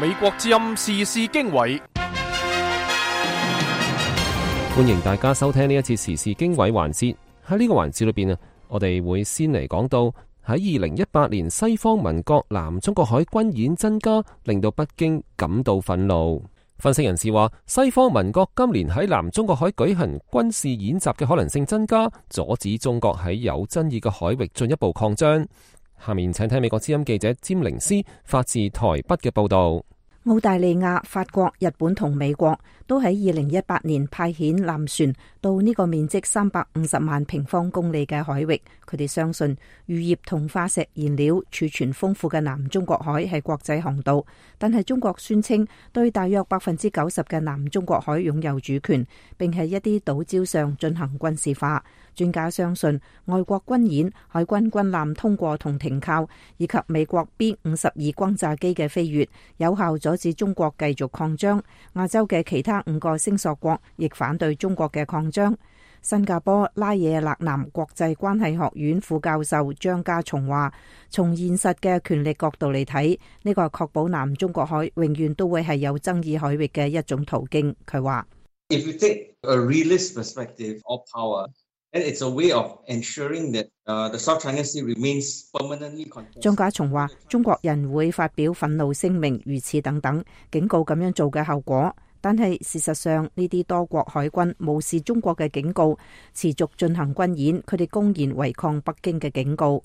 美國之音時事經緯，歡迎大家收聽呢一次時事經緯環節。喺呢個環節裏邊啊，我哋會先嚟講到喺2018年西方盟國南中國海軍演增加，令到北京感到憤怒。分析人士話，西方盟國今年喺南中國海舉行軍事演習嘅可能性增加，阻止中國喺有爭議嘅海域進一步擴張。下面請聽美國之音記者詹寧斯發自台北嘅報道。澳大利亞、法國、日本同美國都喺2018年派遣艦船到呢個面積350萬平方公里嘅海域。佢哋相信漁業同化石燃料儲存豐富嘅南中國海係國際航道，但係中國宣稱對大約90%嘅南中國海擁有主權，並喺一啲島礁上進行軍事化。專家相信外國軍演、海軍軍艦通過同停靠，以及美國 B-52轟炸機嘅飛越，有效阻止中國繼續擴張。亞洲嘅其他5個星索國亦反對中國嘅擴張。新加坡拉惹勒南國際關係學院副教授張家松話，從現實嘅權力角度嚟睇，呢個確保南中國海永遠都會係有爭議海域嘅一種途徑。佢話：If you take a realist perspective of power, and it's a way of ensuring that the South China Sea remains permanently contested。張家松話：中國人會發表憤怒聲明，如此等等，警告咁樣做嘅後果。但係事實上，呢啲多國海軍無視中國嘅警告，持續進行軍演，佢哋公然違抗北京嘅警告。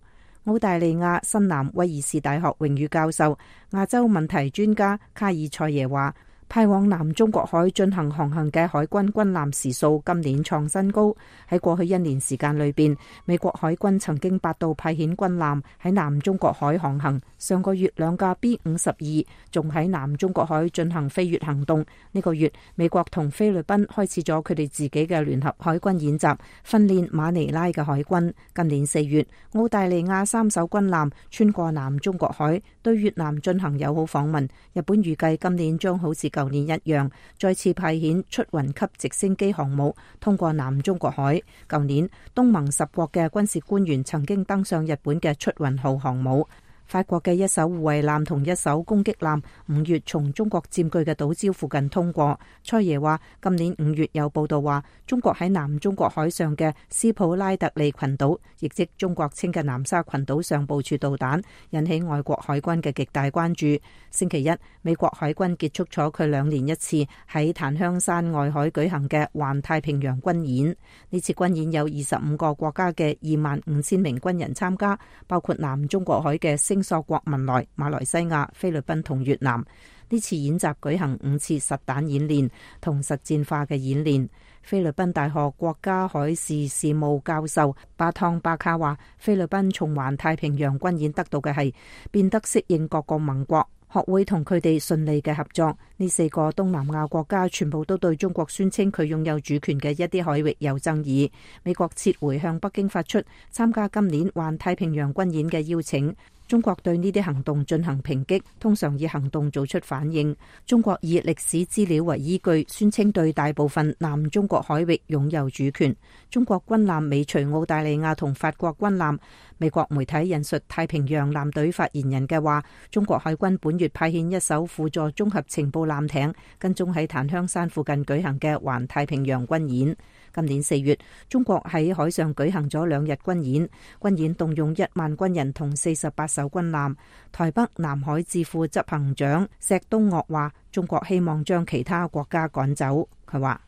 澳大利亞新南威爾士大學榮譽教授、亞洲問題專家卡爾塞耶話，派往南中國海進行航行嘅海軍軍艦時數今年創新高。喺過去1年時間裏邊，美國海軍曾經8度派遣軍艦喺南中國海航行。上個月2架 B-52仲喺南中國海進行飛越行動。呢個月，美國同菲律賓開始咗佢哋自己嘅聯合海軍演習，訓練馬尼拉嘅海軍。今年4月，澳大利亞3艘軍艦穿過南中國海，對越南進行友好訪問。日本預計今年將好似舊年一樣，再次派遣出雲級直升機航母通過南中國海。舊年，東盟10國嘅軍事官員曾經登上日本嘅出雲號航母。法國嘅一艘護衛艦同一艘攻擊艦5月從中國佔據嘅島礁附近通過。塞耶話，今年5月有報道話，中國喺南中國海上嘅斯普拉特利群島，亦即中國稱嘅南沙群島上部署導彈，引起外國海軍嘅極大關注。星期一，美國海軍結束咗佢2年一次喺檀香山外海舉行嘅環太平洋軍演。呢次軍演有25個國家嘅25,000名軍人參加，包括南中國海嘅星索國、文萊、馬來西亞、菲律賓同越南。呢次演習舉行5次實彈演練同實戰化嘅演練。菲律賓大學國家海事事務教授巴湯巴卡話，菲律賓從環太平洋軍演得到嘅係變得適應各個盟國，學會同佢哋順利嘅合作。呢4個東南亞國家全部都對中國宣稱佢擁有主權嘅一啲海域有爭議。美國撤回向北京發出參加今年環太平洋軍演嘅邀請。中國對呢啲行動進行抨擊，通常以行動做出反應。中國以歷史資料為依據，宣稱對大部分南中國海域擁有主權。中國軍艦尾隨澳大利亞同法國軍艦。美國媒體引述太平洋艦隊發言人嘅話，中國海軍本月派遣一艘輔助綜合情報艦艇，跟蹤喺檀香山附近舉行嘅環太平洋軍演。今年4月，中國喺海上舉行咗2日軍演，軍演動用1萬軍人同48艘軍艦。台北南海智庫執行長石東岳話：中國希望將其他國家趕走。佢話：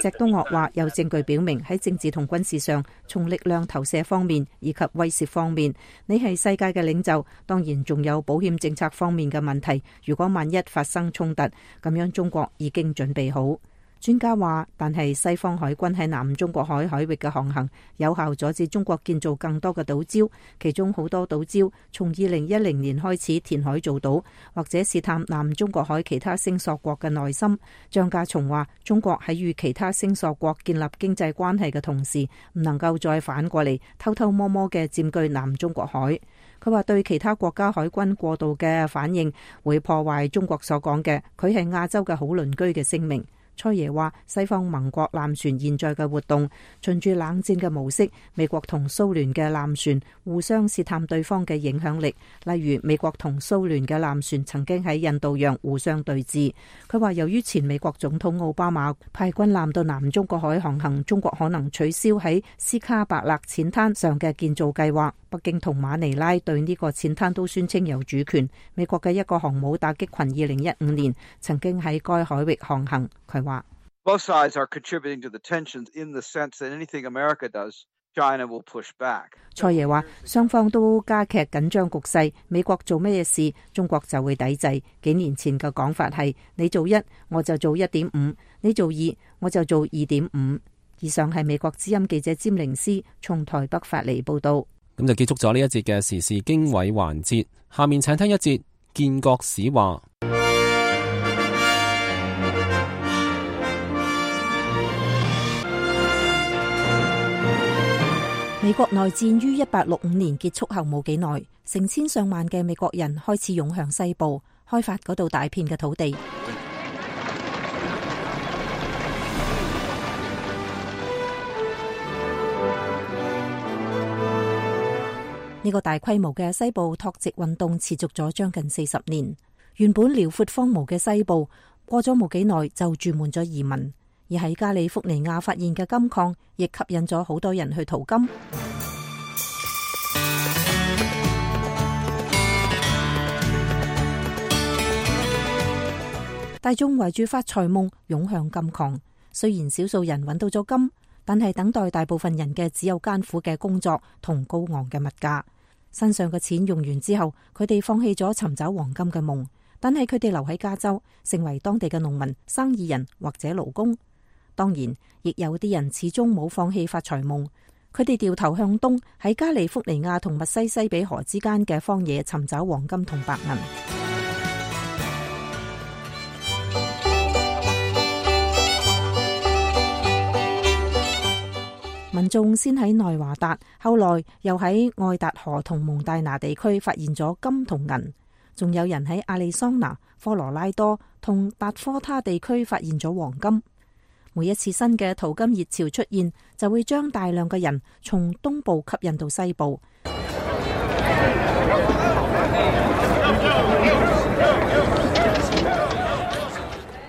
石東岳話有證據表明喺政治同軍事上，從力量投射方面以及威懾方面，你係世界嘅領袖。當然仲有保險政策方面嘅問題。如果萬一發生衝突，咁樣中國已經準備好。專家話，但係西方海軍喺南中國海海域嘅航行，有效阻止中國建造更多嘅島礁，其中好多島礁從2010年開始填海造島，或者試探南中國海其他聲索國嘅內心。張家松話，中國喺與其他聲索國建立經濟關係嘅同時，唔能夠再反過嚟偷偷摸摸嘅佔據南中國海。佢話對其他國家海軍過度嘅反應，會破壞中國所講嘅佢係亞洲嘅好鄰居嘅聲明。蔡爺話，西方盟國艦船現在嘅活動循住冷戰嘅模式，美國同蘇聯嘅艦船互相試探對方嘅影響力。例如美國同蘇聯嘅艦船曾經喺印度洋互相對峙。佢話由於前美國總統奧巴馬派軍艦到南中國海航行，中國可能取消喺斯卡伯勒淺灘上嘅建造計劃。北京同馬尼拉對呢個淺灘都宣稱有主權。美國嘅一個航母打擊群2015年曾經喺該海域航行。佢話Both sides are contributing to the tensions in the sense that anything America does, China will push back. 蔡爺話，雙方都加劇緊張局勢，美國做咩事，中國就會抵制。幾年前嘅講法係，你做1，我就做1.5；你做2，我就做2.5。以上係美國之音記者詹寧斯從台北發嚟報道。咁就結束咗呢一節嘅時事經緯環節，下面請聽一節建國史話。美國內戰於1865年結束後冇幾耐，成千上萬嘅美國人開始湧向西部，開發嗰度大片嘅土地。呢個大規模嘅西部拓殖運動持續咗將近40年。原本遼闊荒蕪嘅西部，過咗冇幾耐就住滿咗移民。而喺加利福尼亞發現嘅金礦，亦吸引咗好多人去淘金。大眾圍住發財夢湧向金礦，雖然少數人揾到咗金，但係等待大部分人嘅只有艱苦嘅工作同高昂嘅物價。身上嘅錢用完之後，佢哋放棄咗尋找黃金嘅夢，但係佢哋留喺加州，成為當地嘅農民、生意人或者勞工。當然，亦有啲人始終冇放棄發財夢，佢哋掉頭向東，喺加利福尼亞同密西西比河之間嘅荒野尋找黃金同白銀。民眾先喺內華達，後來又喺愛達荷同蒙大拿地區發現咗金同銀，仲有人喺亞利桑那、科羅拉多同達科他地區發現咗黃金。每一次新嘅淘金熱潮出現，就會將大量嘅人從東部吸引到西部。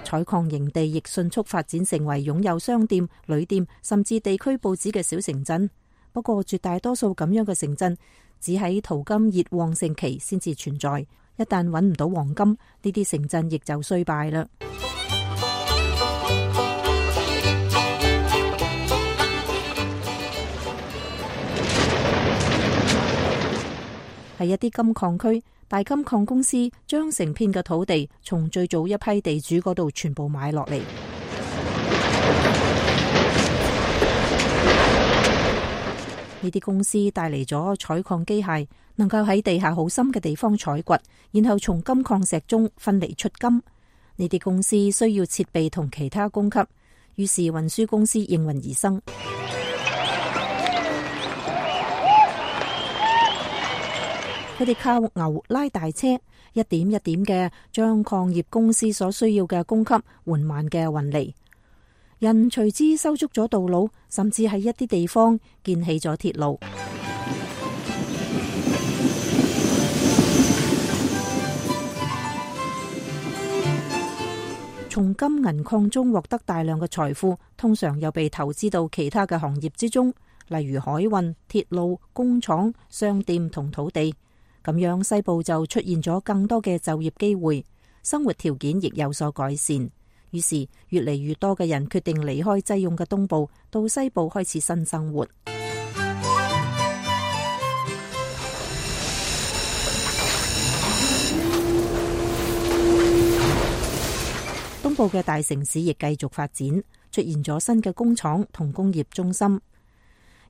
採礦營地亦迅速發展成為擁有商店、旅店甚至地區報紙嘅小城鎮。不過絕大多數咁樣嘅城鎮只喺淘金熱旺盛期先至存在，一旦揾唔到黃金，呢啲城鎮亦就衰敗啦。喺一啲金礦區，大金礦公司將成片嘅土地從最早一批地主嗰度全部買落嚟。呢啲公司帶嚟咗採礦機械，能夠喺地下好深嘅地方採掘，然後從金礦石中分離出金。呢啲公司需要設備同其他供給，於是運輸公司應運而生。佢哋靠牛拉大車，一點一點嘅將礦業公司所需要嘅供給緩慢嘅運嚟。人隨之修築咗道路，甚至喺一啲地方建起咗鐵路。從金銀礦中獲得大量嘅財富，通常又被投資到其他嘅行業之中，例如海運、鐵路、工廠、商店同土地。咁樣西部就出現咗更多嘅就業機會，生活條件亦有所改善。於是越嚟越多嘅人決定離開擠擁嘅東部，到西部開始新生活。東部嘅大城市亦繼續發展，出現咗新嘅工廠同工業中心。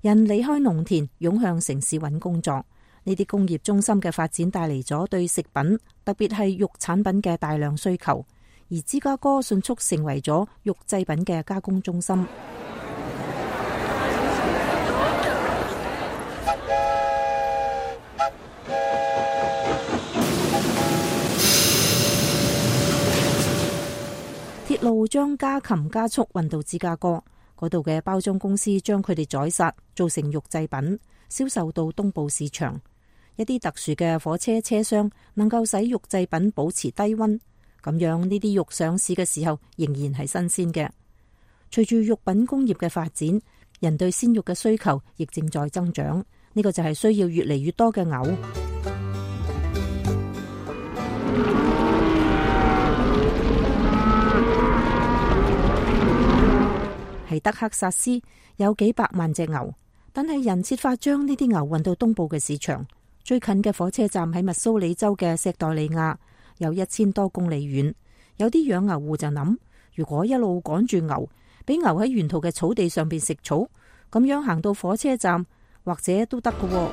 人離開農田，湧向城市揾工作。呢啲工業中心嘅發展帶嚟咗對食品，特別係肉產品嘅大量需求，而芝加哥迅速成為咗肉製品嘅加工中心。鐵路將家禽加速運到芝加哥，嗰度嘅包裝公司將佢哋宰殺，做成肉製品，銷售到東部市場。一啲特殊嘅火車車廂能夠使肉製品保持低溫，咁樣呢啲肉上市嘅時候仍然係新鮮嘅。隨住肉品工業嘅發展，人對鮮肉嘅需求亦正在增長，呢個就係需要越嚟越多嘅牛。喺德克薩斯有幾百萬隻牛，但係人設法將呢啲牛運到東部嘅市場。最近嘅火車站喺密蘇里州嘅石代利亞，有1000多公里遠。有啲養牛戶就諗，如果一路趕住牛，俾牛喺沿途嘅草地上邊食草，咁樣行到火車站或者都得㗎。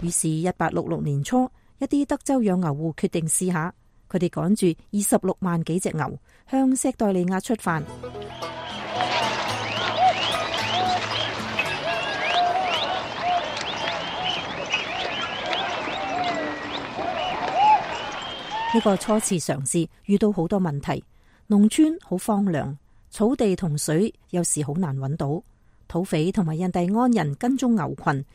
於是1866年初，一啲德州養牛戶決定試下，佢哋趕住26萬幾隻牛向石代利亞出發。呢個初次嘗試遇到好多問題，農村好荒涼，草地同水有時好難揾到，土匪同埋印第安人跟蹤牛群，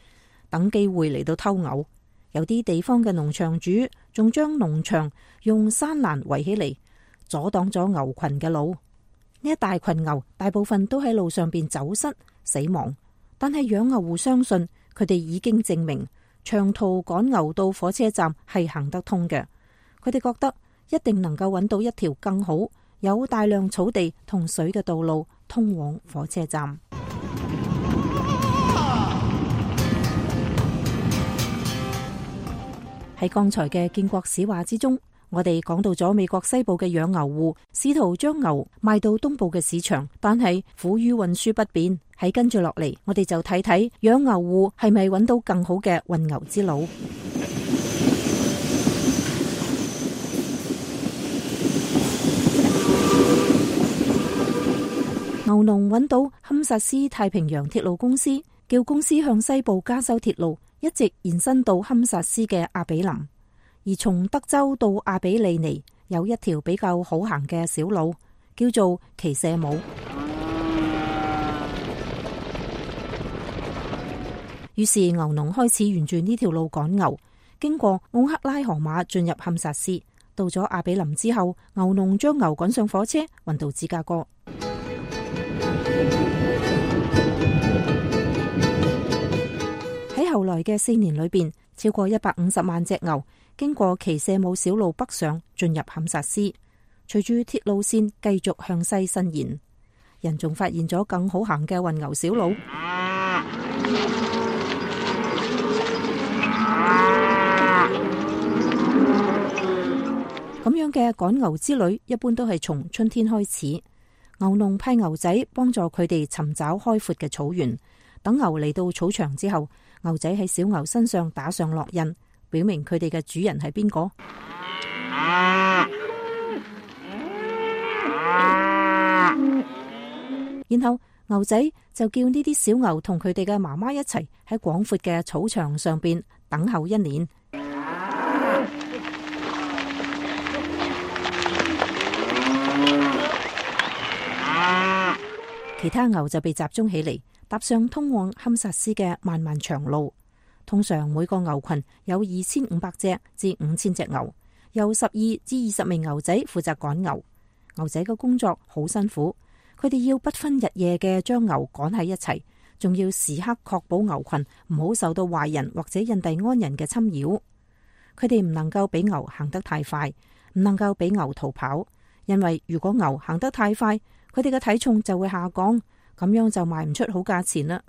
等機會嚟到偷牛。有啲地方嘅農場主仲將農場用山欄圍起嚟，阻擋咗牛群嘅路。呢一大群牛大部分都喺路上邊走失死亡，但係養牛戶相信佢哋已經證明長途趕牛到火車站係行得通嘅。佢哋覺得一定能夠揾到一條更好、有大量草地同水嘅道路通往火車站。喺剛才嘅建國史話之中，我哋講到咗美國西部嘅養牛戶試圖將牛賣到東部嘅市場，但係苦於運輸不便。喺跟住落嚟，我哋就睇睇養牛戶係咪揾到更好嘅運牛之路。牛農揾到堪薩斯太平洋鐵路公司，叫公司向西部加修鐵路，一直延伸到堪薩斯嘅阿比林。而從德州到阿比利尼有一條比較好行嘅小路，叫做奇舍姆。於是牛農開始沿住呢條路趕牛，經過奧克拉荷馬進入堪薩斯。到咗阿比林之後，牛農將牛趕上火車，運到芝加哥。喺後來嘅4年裏邊，超過150萬隻牛經過奇舍姆小路北上，進入堪薩斯。隨住鐵路線繼續向西伸延，人仲發現咗更好行嘅運牛小路。咁樣嘅趕牛之旅一般都係從春天開始。牛農派牛仔幫助佢哋尋找開闊嘅草原，等牛嚟到草場之後，牛仔喺小牛身上打上烙印，表明佢哋嘅主人係邊個。然後牛仔就叫呢啲小牛同佢哋嘅媽媽一齊喺廣闊嘅草場上邊等候1年。其他牛就被集中起嚟，踏上通往堪薩斯嘅漫漫長路。通常每個牛群有2500隻至5000隻牛，由12至20名牛仔負責趕牛。牛仔嘅工作好辛苦，佢哋要不分日夜嘅將牛趕喺一齊，仲要時刻確保牛群唔好受到壞人或者印第安人嘅侵擾。佢哋唔能夠俾牛行得太快，唔能夠俾牛逃跑，因為如果牛行得太快，佢哋嘅體重就會下降，咁樣就賣唔出好價錢啦。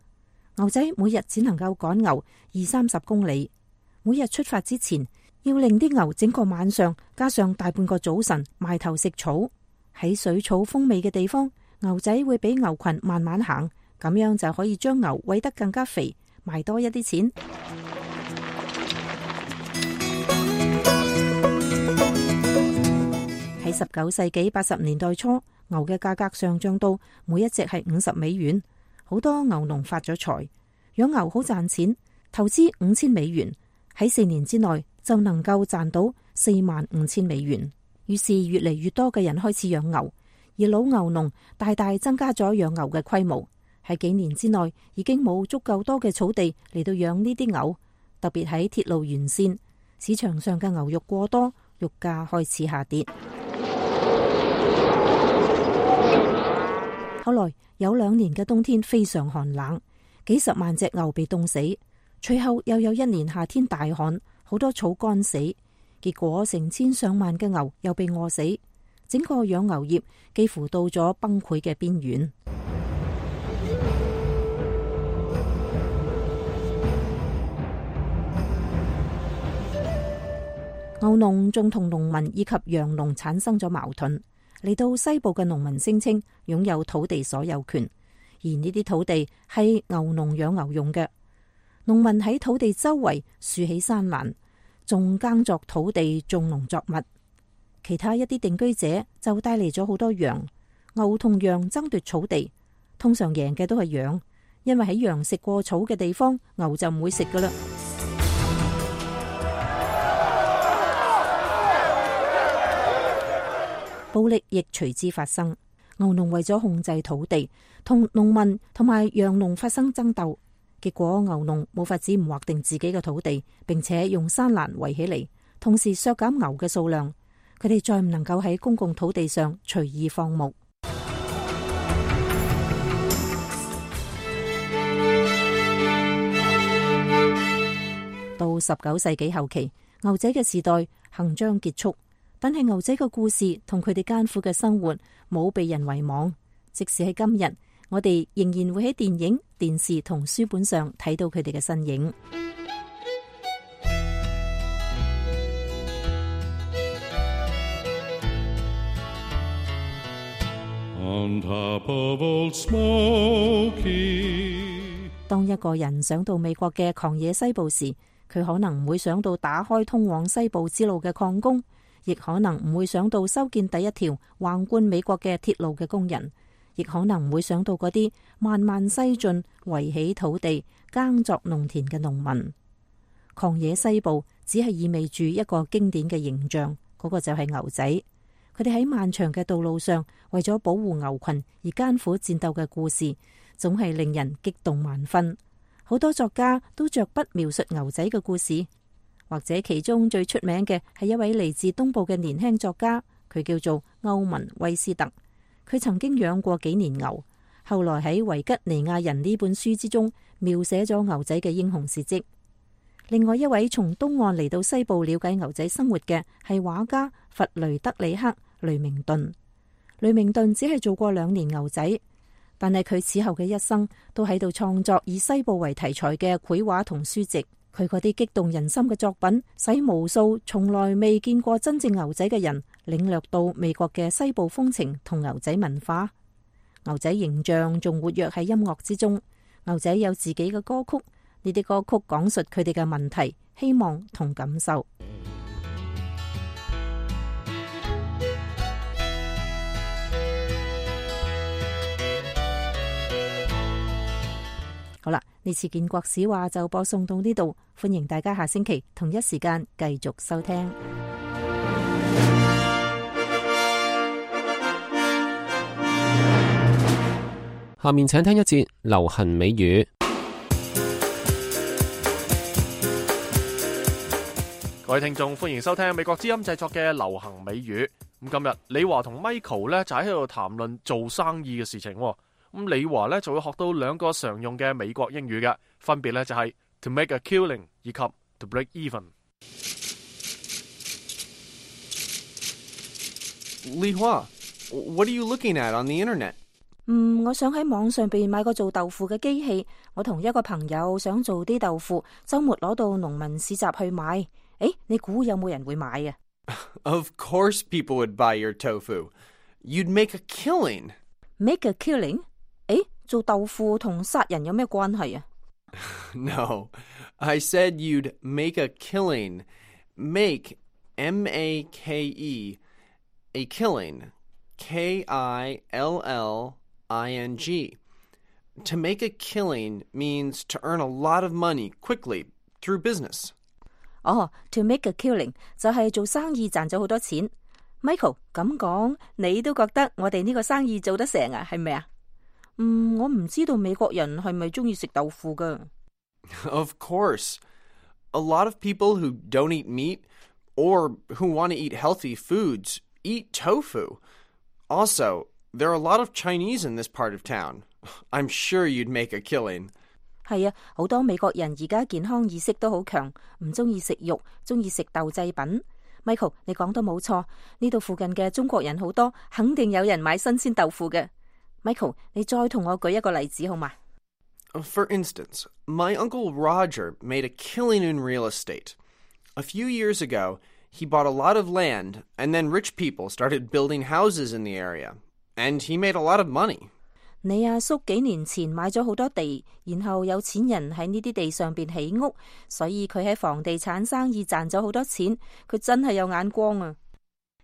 牛仔每日只能夠趕牛20-30公里，每日出發之前要令啲牛整個晚上加上大半個早晨埋頭食草。喺水草豐美嘅地方，牛仔會俾牛群慢慢行，咁樣就可以將牛餵得更加肥，賣多一啲錢。喺19世紀80年代初，牛嘅價格上漲到每一隻係50美元，好多牛農發咗財，養牛好賺錢，投資5000美元，喺4年之內就能夠賺到45000美元。於是越嚟越多嘅人開始養牛，而老牛農大大增加咗養牛嘅規模。喺幾年之內已經冇足夠多嘅草地嚟到養呢啲牛，特別喺鐵路沿線，市場上嘅牛肉過多，肉價開始下跌。後來有2年嘅冬天非常寒冷，幾十萬隻牛被凍死。隨後又有1年夏天大旱，好多草乾死。結果成千上萬嘅牛又被餓死，整個養牛業幾乎到咗崩潰嘅邊緣。牛農仲同農民以及羊農產生咗矛盾。嚟到西部嘅農民聲稱擁有土地所有權，而呢啲土地係牛農養牛用嘅。農民喺土地周圍豎起山欄，種耕作土地種農作物。其他一啲定居者就帶嚟咗好多羊。牛同羊爭奪草地，通常贏嘅都係羊，因為喺羊食過草嘅地方，牛就唔會食噶啦。暴力亦隨之發生。牛農為咗控制土地，同農民同埋羊農發生爭鬥。結果牛農冇法子唔劃定自己嘅土地，並且用山欄圍起嚟，同時削減牛嘅數量。佢哋再唔能夠喺公共土地上隨意放牧。到19世紀後期，牛仔嘅時代行將結束。但係牛仔嘅故事同佢哋艱苦嘅生活冇被人遺忘，即使喺今日，我哋仍然會喺電影、電視同書本上睇到佢哋嘅身影。On top of Old Smoky， 當一個人想到美國嘅狂野西部時，佢可能唔會想到打開通往西部之路嘅礦工，亦可能唔會想到修建第一條橫貫美國嘅鐵路嘅工人，亦可能唔會想到嗰啲慢慢西進、圍起土地、耕作農田嘅農民。狂野西部只係意味住一個經典嘅形象，嗰個就係牛仔。佢哋喺漫長嘅道路上為咗保護牛群而艱苦戰鬥嘅故事，總係令人激動萬分。好多作家都着筆描述牛仔嘅故事。或者其中最出名嘅係一位嚟自東部嘅年輕作家，佢叫做歐文威斯特。佢曾經養過幾年牛，後來喺維吉尼亞人呢本書之中描寫咗牛仔嘅英雄事跡。另外一位從東岸嚟到西部了解牛仔生活嘅係畫家弗雷德里克·雷明頓。雷明頓只係做過2年牛仔，但係佢此後嘅一生都喺度創作以西部為題材嘅繪畫同書籍。佢嗰啲激動人心嘅作品，使無數從來未見過真正牛仔嘅人領略到美國嘅西部風情同牛仔文化。牛仔形象仲活躍喺音樂之中。牛仔有自己嘅歌曲，呢啲歌曲講述佢哋嘅問題、希望同感受。好啦，呢次建國史話就播送到呢度，歡迎大家下星期同一時間繼續收聽。下面請聽一節流行美語。各位聽眾，歡迎收聽美國之音製作嘅流行美語。咁今日李華同 Michael 咧就喺度談論做生意嘅事情。咁李華咧就會學到兩個常用嘅美國英語嘅，分別咧就係 to make a killing 以及 to break even。李華，what are you looking at on the internet？我想喺網上邊買個做豆腐嘅機器。我同一個朋友想做啲豆腐，周末攞到農民市集去買。誒，你估有冇人會買啊？ Of course people would buy your tofu. You'd make a killing. Make a killing？ 誒，做豆腐同殺人有咩關係啊？ No, I said you'd make a killing. Make, M-A-K-E, a killing, K-I-L-L-I-N-G. To make a killing means to earn a lot of money quickly through business. To make a killing 就係做生意賺咗好多錢。Michael， 咁講，你都覺得我哋呢個生意做得成啊？係咪啊？我唔知道美國人係咪中意食豆腐噶。Of course. A lot of people who don't eat meat or who want to eat healthy foods eat tofu. Also, there are a lot of Chinese in this part of town. I'm sure you'd make a killing. 係啊，好多美國人而家健康意識都好強，唔中意食肉，中意食豆製品。Michael， 你講得冇錯，呢度附近嘅中國人好多，肯定有人買新鮮豆腐嘅。Michael， 你再同我舉一個例子好嗎？ For instance, my uncle Roger made a killing in real estate. A few years ago, he bought a lot of land, and then rich people started building houses in the area, and he made a lot of money. 你阿叔幾年前買咗好多地，然後有錢人喺呢啲地上邊起屋，所以佢喺房地產生意賺咗好多錢，佢真係有眼光啊。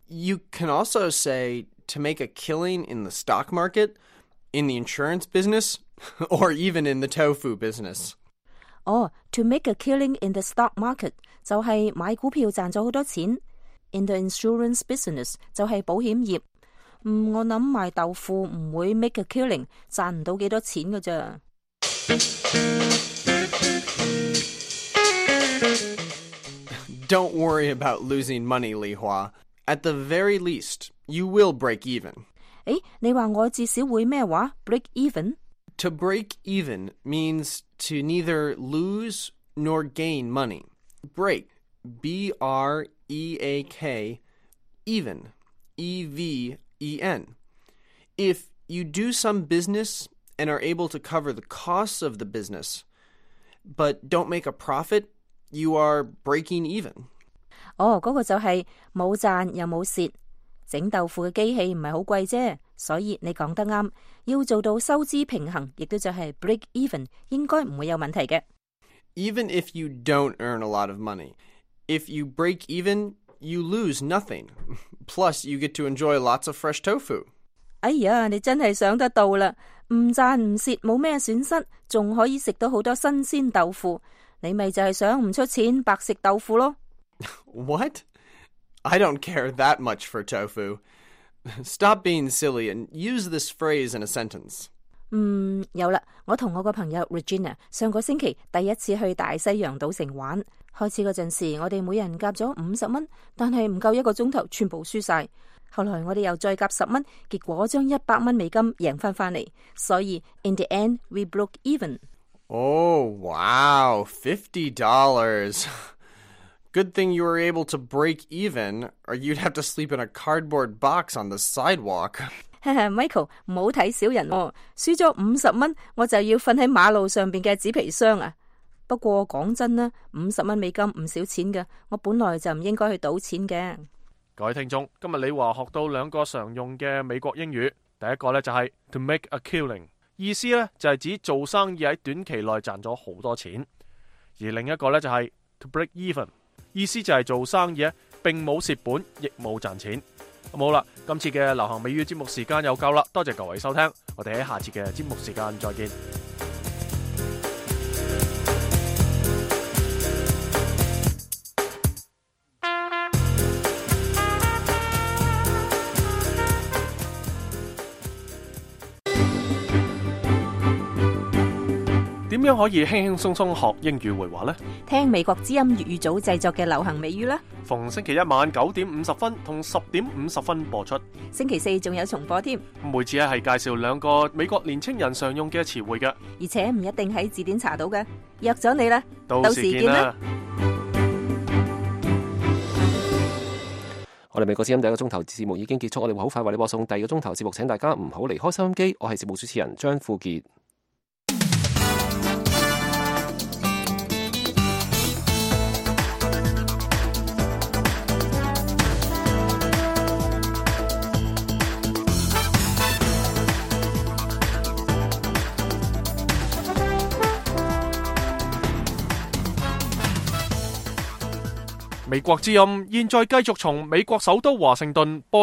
You can also say to make a killing in the stock market, in the insurance business, or even in the tofu business. To make a killing in the stock market 就係買股票賺咗好多錢。In the insurance business 就係保險業。我諗賣豆腐唔會 make a killing， 賺唔到幾多錢㗎咋。Don't worry about losing money, Li Hua. At the very least, you will break even. 你話我至少會咩話 break even？ To break even means to neither lose nor gain money. Break, B-R-E-A-K, even, E-V-E-N. If you do some business and are able to cover the costs of the business, but don't make a profit, you are breaking even. 嗰個就係冇賺又冇蝕。整豆腐嘅機器唔係好貴啫，所以你講得啱，要做到收支平衡，亦都就係 break even， 應該唔會有問題嘅。Even if you don't earn a lot of money, if you break even, you lose nothing. Plus, you get to enjoy lots of fresh tofu. 哎呀，你真係想得到啦！唔賺唔蝕，冇咩損失，仲可以食到好多新鮮豆腐。你咪就係想唔出錢白食豆腐咯。What? I don't care that much for tofu. Stop being silly and use this phrase in a sentence. 有啦，我同我個朋友 Regina 上個星期第一次去大西洋賭城玩。開始嗰陣時，我哋每人夾咗50蚊，但係唔夠一個鐘頭，全部輸晒。後來我哋又再夾10蚊，結果將100蚊美金贏翻嚟。所以 in the end we broke even. Oh, wow, $50. Good thing you were able to break even, or you'd have to sleep in a cardboard box on the sidewalk. Michael， 唔好睇小人喎，輸咗50蚊，我就要瞓喺馬路上邊嘅紙皮箱啊！不過講真啦，50蚊美金唔少錢㗎，我本來就唔應該去賭錢嘅。各位聽眾，今日李華學到兩個常用嘅美國英語，第一個呢就係 to make a killing， 意思呢就係指做生意喺短期內賺咗好多錢，而另一個呢就係 to break even， 意思就係做生意並冇蝕本，亦冇賺錢。咁好啦，今次嘅流行美語節目時間又夠啦，多謝各位收聽，我哋喺下次嘅節目時間再見。點點樣可以輕輕鬆鬆學英語回話呢？聽美國之音粵語組製作嘅流行美語啦。逢星期一晚9點50分同10點50分播出。星期四仲有重播添。每次係介紹2個美國年青人常用嘅詞彙嘅，而且唔一定喺字典查到嘅。約咗你啦，到時見啦。我哋美國之音第一個鐘頭節目已經結束，我哋會好快為你播送第二個鐘頭節目，請大家唔好離開收音機。我係節目主持人張富傑。美國之音現在繼續從美國首都華盛頓播